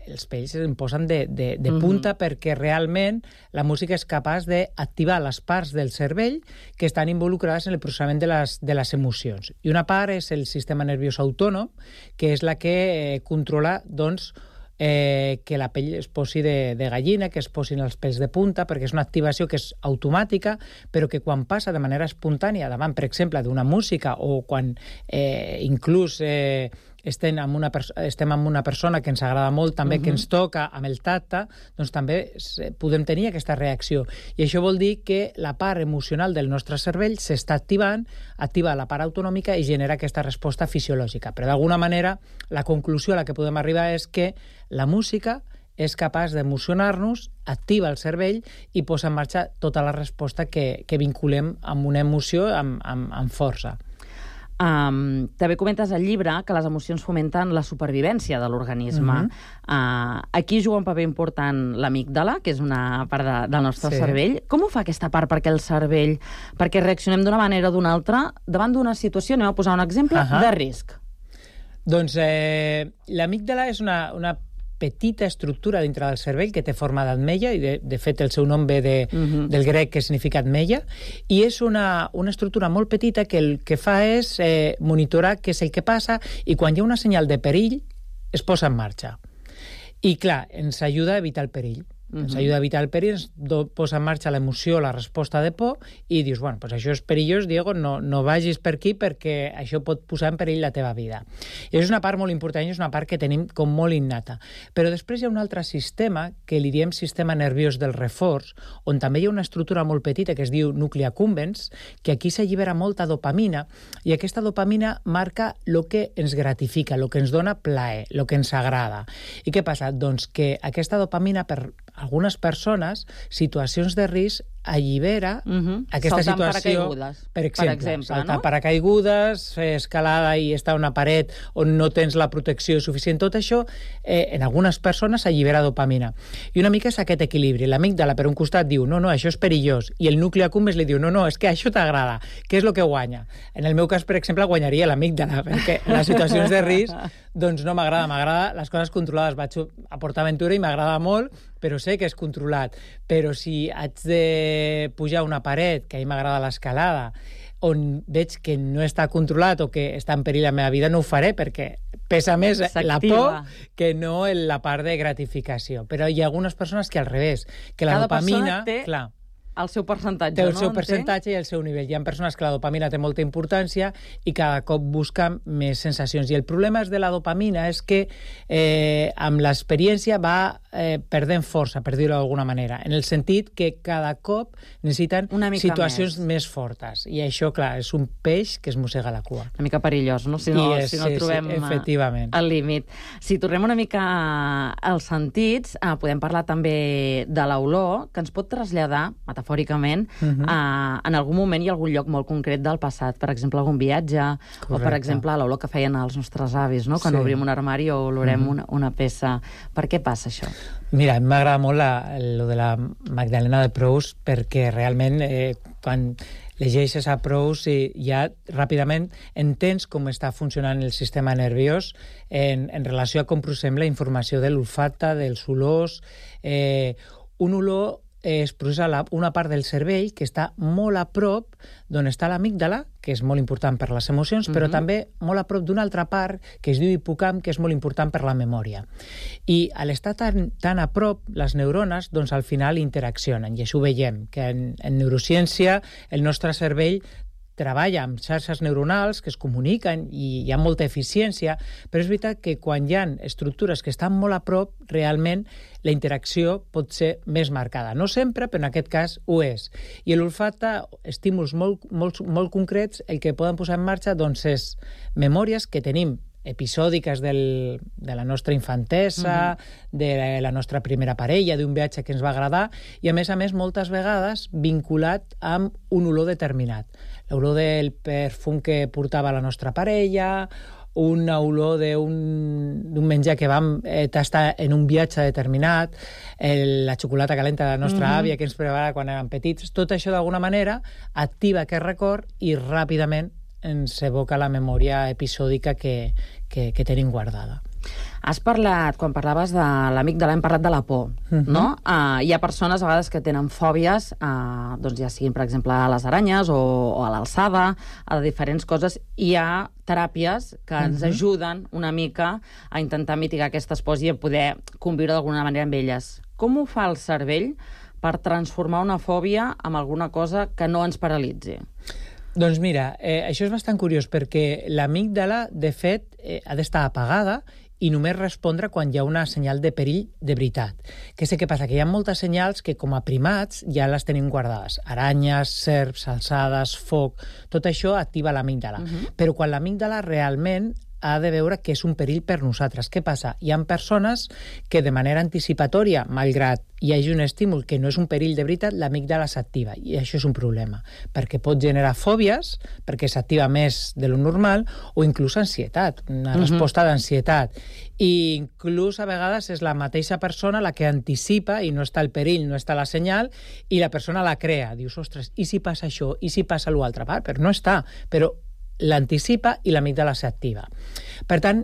els pells em posen de, de, de punta uh-huh. perquè realment la música és capaç d'activar les parts del cervell que estan involucrades en el processament de les, de les emocions. I una part és el sistema nerviós autònom, que és la que eh, controla, doncs, Eh, que la pell es posi de, de gallina, que es posin els pèls de punta, perquè és una activació que és automàtica, però que quan passa de manera espontània davant, per exemple, d'una música o quan eh, inclús eh, estem amb, una estem amb una persona que ens agrada molt, també uh-huh. que ens toca amb el tacte, doncs també podem tenir aquesta reacció. I això vol dir que la part emocional del nostre cervell s'està activant, activa la part autonòmica i genera aquesta resposta fisiològica. Però d'alguna manera la conclusió a la que podem arribar és que la música és capaç d'emocionar-nos, activa el cervell i posa en marxa tota la resposta que, que vinculem amb una emoció amb, amb, amb força. Um, també comentes al llibre que les emocions fomenten la supervivència de l'organisme. Uh-huh. uh, aquí juga un paper important l'amígdala, que és una part de, del nostre sí. cervell. Com ho fa aquesta part perquè el cervell, perquè reaccionem d'una manera o d'una altra davant d'una situació, anem a posar un exemple, uh-huh. de risc? Doncs eh, l'amígdala és una, una petita estructura dintre del cervell que té forma d'ametlla, i de, de fet el seu nom ve de, uh-huh. del grec, que significa ametlla, i és una, una estructura molt petita que el que fa és eh, monitorar què és el que passa, i quan hi ha una senyal de perill es posa en marxa. I clar, ens ajuda a evitar el perill. Ens uh-huh. ajuda a evitar el perill, ens do, posa en marxa l'emoció, la resposta de por, i dius, bueno, pues això és perillós, Diego, no, no vagis per aquí perquè això pot posar en perill la teva vida. I és una part molt important, és una part que tenim com molt innata. Però després hi ha un altre sistema, que li diem sistema nerviós del reforç, on també hi ha una estructura molt petita que es diu nucli accumbens, que aquí s'allibera molta dopamina, i aquesta dopamina marca el que ens gratifica, el que ens dona plaer, el que ens agrada. I què passa? Doncs que aquesta dopamina, per algunes persones, situacions de risc, allibera uh-huh. aquesta Saltant situació... paracaigudes, per exemple, per exemple, saltar no? paracaigudes, fer escalada i estar a una paret on no tens la protecció suficient. Tot això, eh, en algunes persones, allibera dopamina. I una mica és aquest equilibri. L'amígdala, per un costat, diu no, no, això és perillós. I el nucli accumbens li diu no, no, és que això t'agrada. Què és el que guanya? En el meu cas, per exemple, guanyaria l'amígdala, perquè en les situacions de risc doncs no m'agrada. M'agrada les coses controlades. Vaig a PortAventura i m'agrada molt, però sé que és controlat. Però si haig de pujar una paret, que a mi m'agrada l'escalada, on veig que no està controlat o que està en perill la meva vida, no ho faré perquè pesa més la por que no la part de gratificació. Però hi ha algunes persones que al revés, que la Cada dopamina... persona té clar, el seu percentatge, té el no? seu percentatge i el seu nivell. Hi ha persones que la dopamina té molta importància i cada cop busquen més sensacions. I el problema és de la dopamina és que eh, amb l'experiència va eh, perdent força, per dir-ho d'alguna manera, en el sentit que cada cop necessiten situacions més. més fortes. I això, clar, és un peix que es mossega la cua. Una mica perillós, no? Si no, és, si no sí, trobem sí, efectivament. al límit. Si tornem una mica als sentits, eh, podem parlar també de l'olor, que ens pot traslladar, metafòricament, uh-huh. a, en algun moment i algun lloc molt concret del passat. Per exemple, algun viatge, correcte. O, per exemple, l'olor que feien els nostres avis, no? Quan sí. obrim un armari o olorem uh-huh. una, una peça. Per què passa això? Mira, m'agrada molt la, lo de la Magdalena de Proust, perquè realment eh, quan llegeixes a Proust i ja ràpidament entens com està funcionant el sistema nerviós en, en relació a com processem la informació de l'olfacte, dels olors. Eh, un olor es processa una part del cervell que està molt a prop d'on està l'amígdala, que és molt important per les emocions, però uh-huh. també molt a prop d'una altra part que es diu hipocamp, que és molt important per la memòria. I a l'estar tan, tan a prop, les neurones, doncs al final interaccionen, i això ho veiem, que en, en neurociència el nostre cervell treballa amb xarxes neuronals que es comuniquen i hi ha molta eficiència, però és veritat que quan hi ha estructures que estan molt a prop, realment la interacció pot ser més marcada. No sempre, però en aquest cas ho és. I l'olfacte, estímuls molt, molt, molt concrets, el que poden posar en marxa doncs, és memòries que tenim episòdiques del, de la nostra infantesa, uh-huh. de la nostra primera parella, d'un viatge que ens va agradar, i a més a més moltes vegades vinculat amb un olor determinat. L'olor del perfum que portava la nostra parella, una olor d'un menjar que vam eh, tastar en un viatge determinat, el, la xocolata calenta de la nostra uh-huh. àvia que ens preparava quan érem petits. Tot això d'alguna manera activa aquest record i ràpidament ens evoca la memòria episòdica que, que, que tenim guardada. Has parlat, quan parlaves de l'amígdala, hem parlat de la por, uh-huh. no? Uh, hi ha persones a vegades que tenen fòbies, uh, doncs ja siguin, per exemple, a les aranyes o, o a l'alçada, a diferents coses. Hi ha teràpies que ens uh-huh. ajuden una mica a intentar mitigar aquestes pors i a poder conviure d'alguna manera amb elles. Com ho fa el cervell per transformar una fòbia en alguna cosa que no ens paralitzi? Doncs mira, eh, això és bastant curiós perquè l'amígdala, de fet, eh, ha d'estar apagada i només respondre quan hi ha una senyal de perill de veritat. Què sé què passa? Que hi ha moltes senyals que com a primats ja les tenim guardades. Aranyes, serps, alçades, foc... Tot això activa l'amígdala. Uh-huh. Però quan l'amígdala realment ha de veure que és un perill per nosaltres. Què passa? Hi ha persones que de manera anticipatòria, malgrat hi hagi un estímul que no és un perill de veritat, l'amígdala s'activa. I això és un problema, perquè pot generar fòbies, perquè s'activa més de lo normal, o inclús ansietat, una uh-huh. resposta d'ansietat. I inclús a vegades és la mateixa persona la que anticipa i no està el perill, no està la senyal, i la persona la crea. Dius, ostres, i si passa això? I si passa l'altre? Però no està, però l'anticipa i l'amígdala s'activa. Per tant,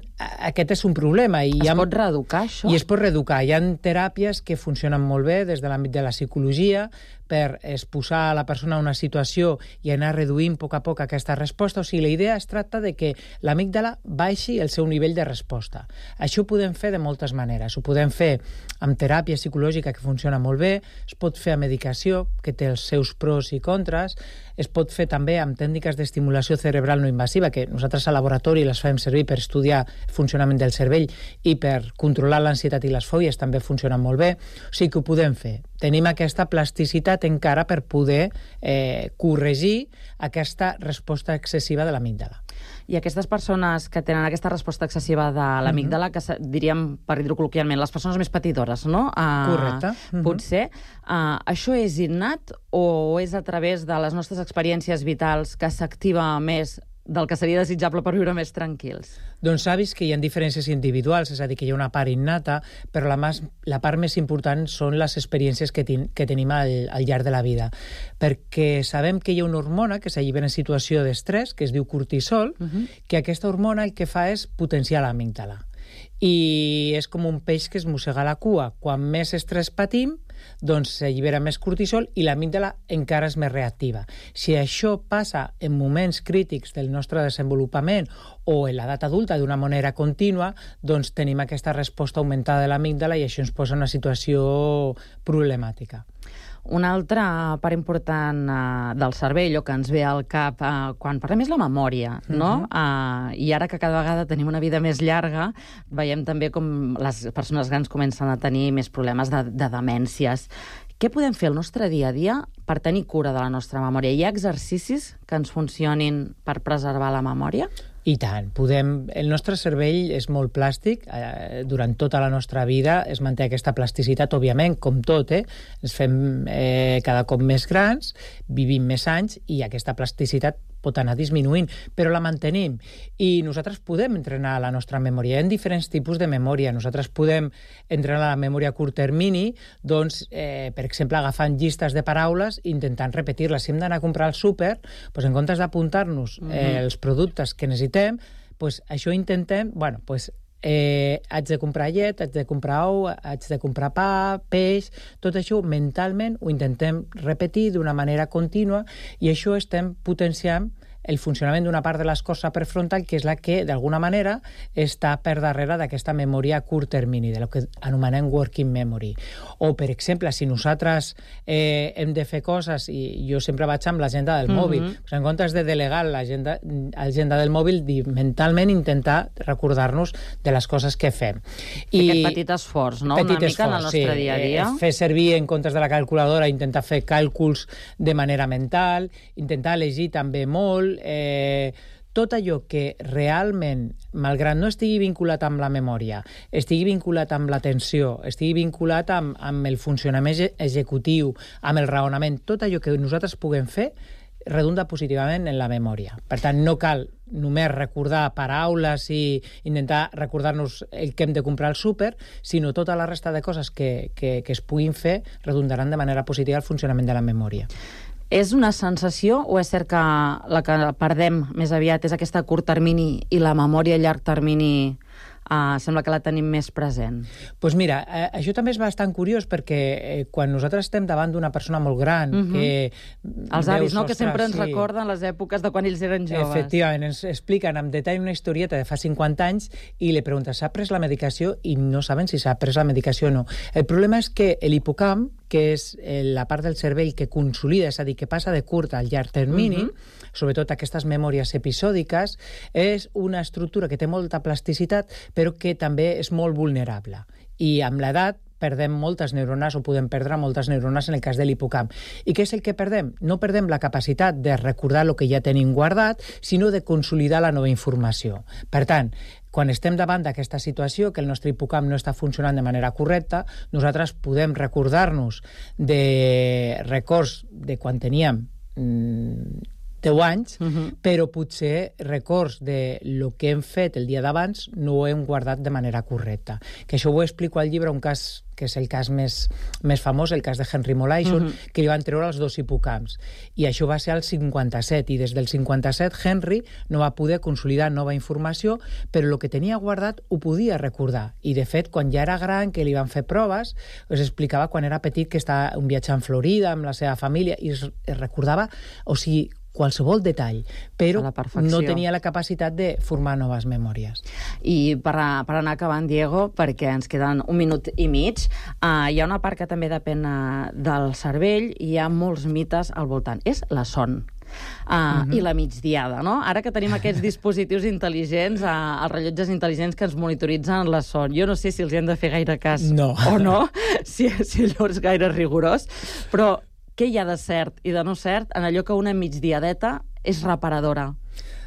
aquest és un problema. I es ha... pot reeducar, això? I es pot reeducar. Hi ha teràpies que funcionen molt bé des de l'àmbit de la psicologia per exposar a la persona a una situació i anar reduint a poc a poc aquesta resposta. O sigui, la idea es tracta de que l'amígdala baixi el seu nivell de resposta. Això ho podem fer de moltes maneres. Ho podem fer amb teràpia psicològica, que funciona molt bé, es pot fer amb medicació, que té els seus pros i contres, es pot fer també amb tècniques d'estimulació cerebral no invasiva, que nosaltres al laboratori les fem servir per estudiar el funcionament del cervell i per controlar l'ansietat i les fòbies també funcionen molt bé. O sigui que ho podem fer. Tenim aquesta plasticitat encara per poder eh, corregir aquesta resposta excessiva de l'amígdala. I aquestes persones que tenen aquesta resposta excessiva de l'amígdala, que diríem, per dir-ho col·loquialment, les persones més patidores, no? Uh, Correcte. Uh-huh. Potser. Uh, això és innat o és a través de les nostres experiències vitals que s'activa més del que seria desitjable per viure més tranquils? Doncs s'ha vist que hi ha diferències individuals, és a dir, que hi ha una part innata, però la, mas, la part més important són les experiències que, ten, que tenim al, al llarg de la vida. Perquè sabem que hi ha una hormona que s'allibera en situació d'estrès, que es diu cortisol, uh-huh. que aquesta hormona el que fa és potenciar l'amígdala. I és com un peix que es mossega la cua. Quan més estrès patim, doncs s'allibera més cortisol i l'amígdala encara és més reactiva. Si això passa en moments crítics del nostre desenvolupament o en l'edat adulta d'una manera contínua, doncs tenim aquesta resposta augmentada de l'amígdala i això ens posa en una situació problemàtica. Una altra part important uh, del cervell o que ens ve al cap uh, quan parlem és la memòria, no? Uh-huh. Uh, I ara que cada vegada tenim una vida més llarga, veiem també com les persones grans comencen a tenir més problemes de, de demències. Què podem fer al nostre dia a dia per tenir cura de la nostra memòria? Hi ha exercicis que ens funcionin per preservar la memòria? I tant. Podem... El nostre cervell és molt plàstic. Eh, durant tota la nostra vida es manté aquesta plasticitat, òbviament, com tot, eh? Ens fem eh, cada cop més grans, vivim més anys i aquesta plasticitat pot anar disminuint, però la mantenim. I nosaltres podem entrenar la nostra memòria. Hi ha diferents tipus de memòria. Nosaltres podem entrenar la memòria a curt termini, doncs, eh, per exemple, agafant llistes de paraules i intentant repetir-les. Si hem d'anar a comprar al súper, doncs, en comptes d'apuntar-nos eh, uh-huh. els productes que necessitem, doncs, això intentem, bueno, doncs, Eh, haig de comprar llet, haig de comprar ou, haig de comprar pa, peix, tot això mentalment ho intentem repetir d'una manera contínua i això estem potenciant el funcionament d'una part de l'escorça prefrontal que és la que, d'alguna manera, està per darrere d'aquesta memòria a curt termini, de lo que anomenem working memory. O, per exemple, si nosaltres eh, hem de fer coses, i jo sempre vaig amb l'agenda del mm-hmm. mòbil, pues en comptes de delegar l'agenda del mòbil, mentalment intentar recordar-nos de les coses que fem. I aquest petit esforç, no? Petit una mica esforç, en el nostre sí. dia a dia. Eh, fer servir en comptes de la calculadora, intentar fer càlculs de manera mental, intentar llegir també molt, Eh, tot allò que realment, malgrat no estigui vinculat amb la memòria, estigui vinculat amb l'atenció, estigui vinculat amb, amb el funcionament executiu, amb el raonament, tot allò que nosaltres puguem fer redunda positivament en la memòria. Per tant, no cal només recordar paraules i intentar recordar-nos el que hem de comprar al súper, sinó tota la resta de coses que, que, que es puguin fer redundaran de manera positiva el funcionament de la memòria. És una sensació o és cert que la que perdem més aviat és aquesta a curt termini i la memòria a llarg termini uh, sembla que la tenim més present? Doncs pues mira, eh, això també és bastant curiós perquè eh, quan nosaltres estem davant d'una persona molt gran uh-huh. que... Els avis, no?, que sempre ens sí. recorden les èpoques de quan ells eren joves. Efectivament, ens expliquen amb detall una historieta de fa cinquanta anys i li pregunten, s'ha pres la medicació? I no saben si s'ha pres la medicació o no. El problema és que l'hipocamp, que és la part del cervell que consolida, és a dir, que passa de curt al llarg termini, uh-huh. sobretot aquestes memòries episòdiques, és una estructura que té molta plasticitat, però que també és molt vulnerable. I amb l'edat perdem moltes neurones o podem perdre moltes neurones en el cas de l'hipocamp. I què és el que perdem? No perdem la capacitat de recordar el que ja tenim guardat, sinó de consolidar la nova informació. Per tant, quan estem davant d'aquesta situació, que el nostre hipocamp no està funcionant de manera correcta, nosaltres podem recordar-nos de records de quan teníem mmm, deu anys, uh-huh. però potser records de lo que hem fet el dia d'abans no ho hem guardat de manera correcta. Que això ho explico al llibre, un cas que és el cas més, més famós, el cas de Henry Molaison, uh-huh. que li van treure els dos hipocamps. I això va ser al cinquanta-set, i des del cinquanta-set Henry no va poder consolidar nova informació, però el que tenia guardat ho podia recordar. I, de fet, quan ja era gran, que li van fer proves, es explicava quan era petit que estava un viatge en Florida amb la seva família, i es, es recordava, o sigui, qualsevol detall, però no tenia la capacitat de formar noves memòries. I per, a, per anar acabant, Diego, perquè ens queden un minut i mig, uh, hi ha una part que també depèn uh, del cervell i hi ha molts mites al voltant. És la son. Uh, uh-huh. I la migdiada, no? Ara que tenim aquests dispositius intel·ligents, uh, els rellotges intel·ligents que ens monitoritzen la son. Jo no sé si els hem de fer gaire cas no. o no, si, si allò és gaire rigorós, però què hi ha de cert i de no cert en allò que una migdiadeta és reparadora?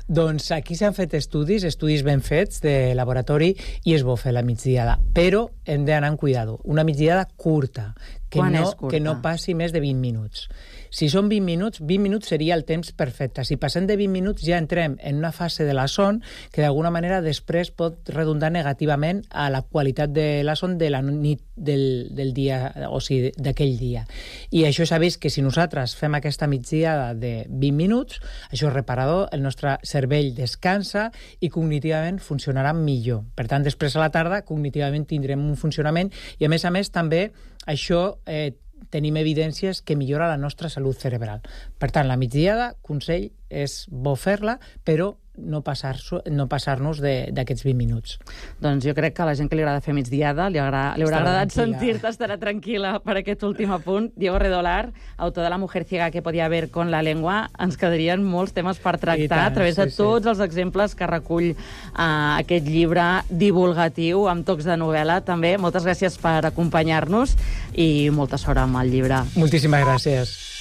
Doncs aquí s'han fet estudis, estudis ben fets de laboratori, i és bo fer la migdiada, però hem d'anar amb cuidado. Una migdiada curta, que Quan no, és curta? que no passi més de vint minuts. Si són vint minuts, vint minuts seria el temps perfecte. Si passem de vint minuts ja entrem en una fase de la son que d'alguna manera després pot redundar negativament a la qualitat de la son de la nit del, del dia, o sigui, d'aquell dia. I això s'ha vist que si nosaltres fem aquesta migdiada de vint minuts, això és reparador, el nostre cervell descansa i cognitivament funcionarà millor. Per tant, després a la tarda, cognitivament tindrem un funcionament i, a més a més, també això eh, tenim evidències que millora la nostra salut cerebral. Per tant, la migdiada, consell, és bo fer-la, però no passar-nos no passar d'aquests vint minuts. Doncs jo crec que a la gent que li agrada fer migdiada li, agra li haurà Estarà agradat tranquil·la. sentir-te, estarà tranquil·la per aquest últim apunt. Diego Redolar, autor de La mujer ciega que podía ver con la lengua, ens quedarien molts temes per tractar tant, a través de sí, sí. tots els exemples que recull uh, aquest llibre divulgatiu amb tocs de novel·la. També moltes gràcies per acompanyar-nos i molta sort amb el llibre. Moltíssimes gràcies.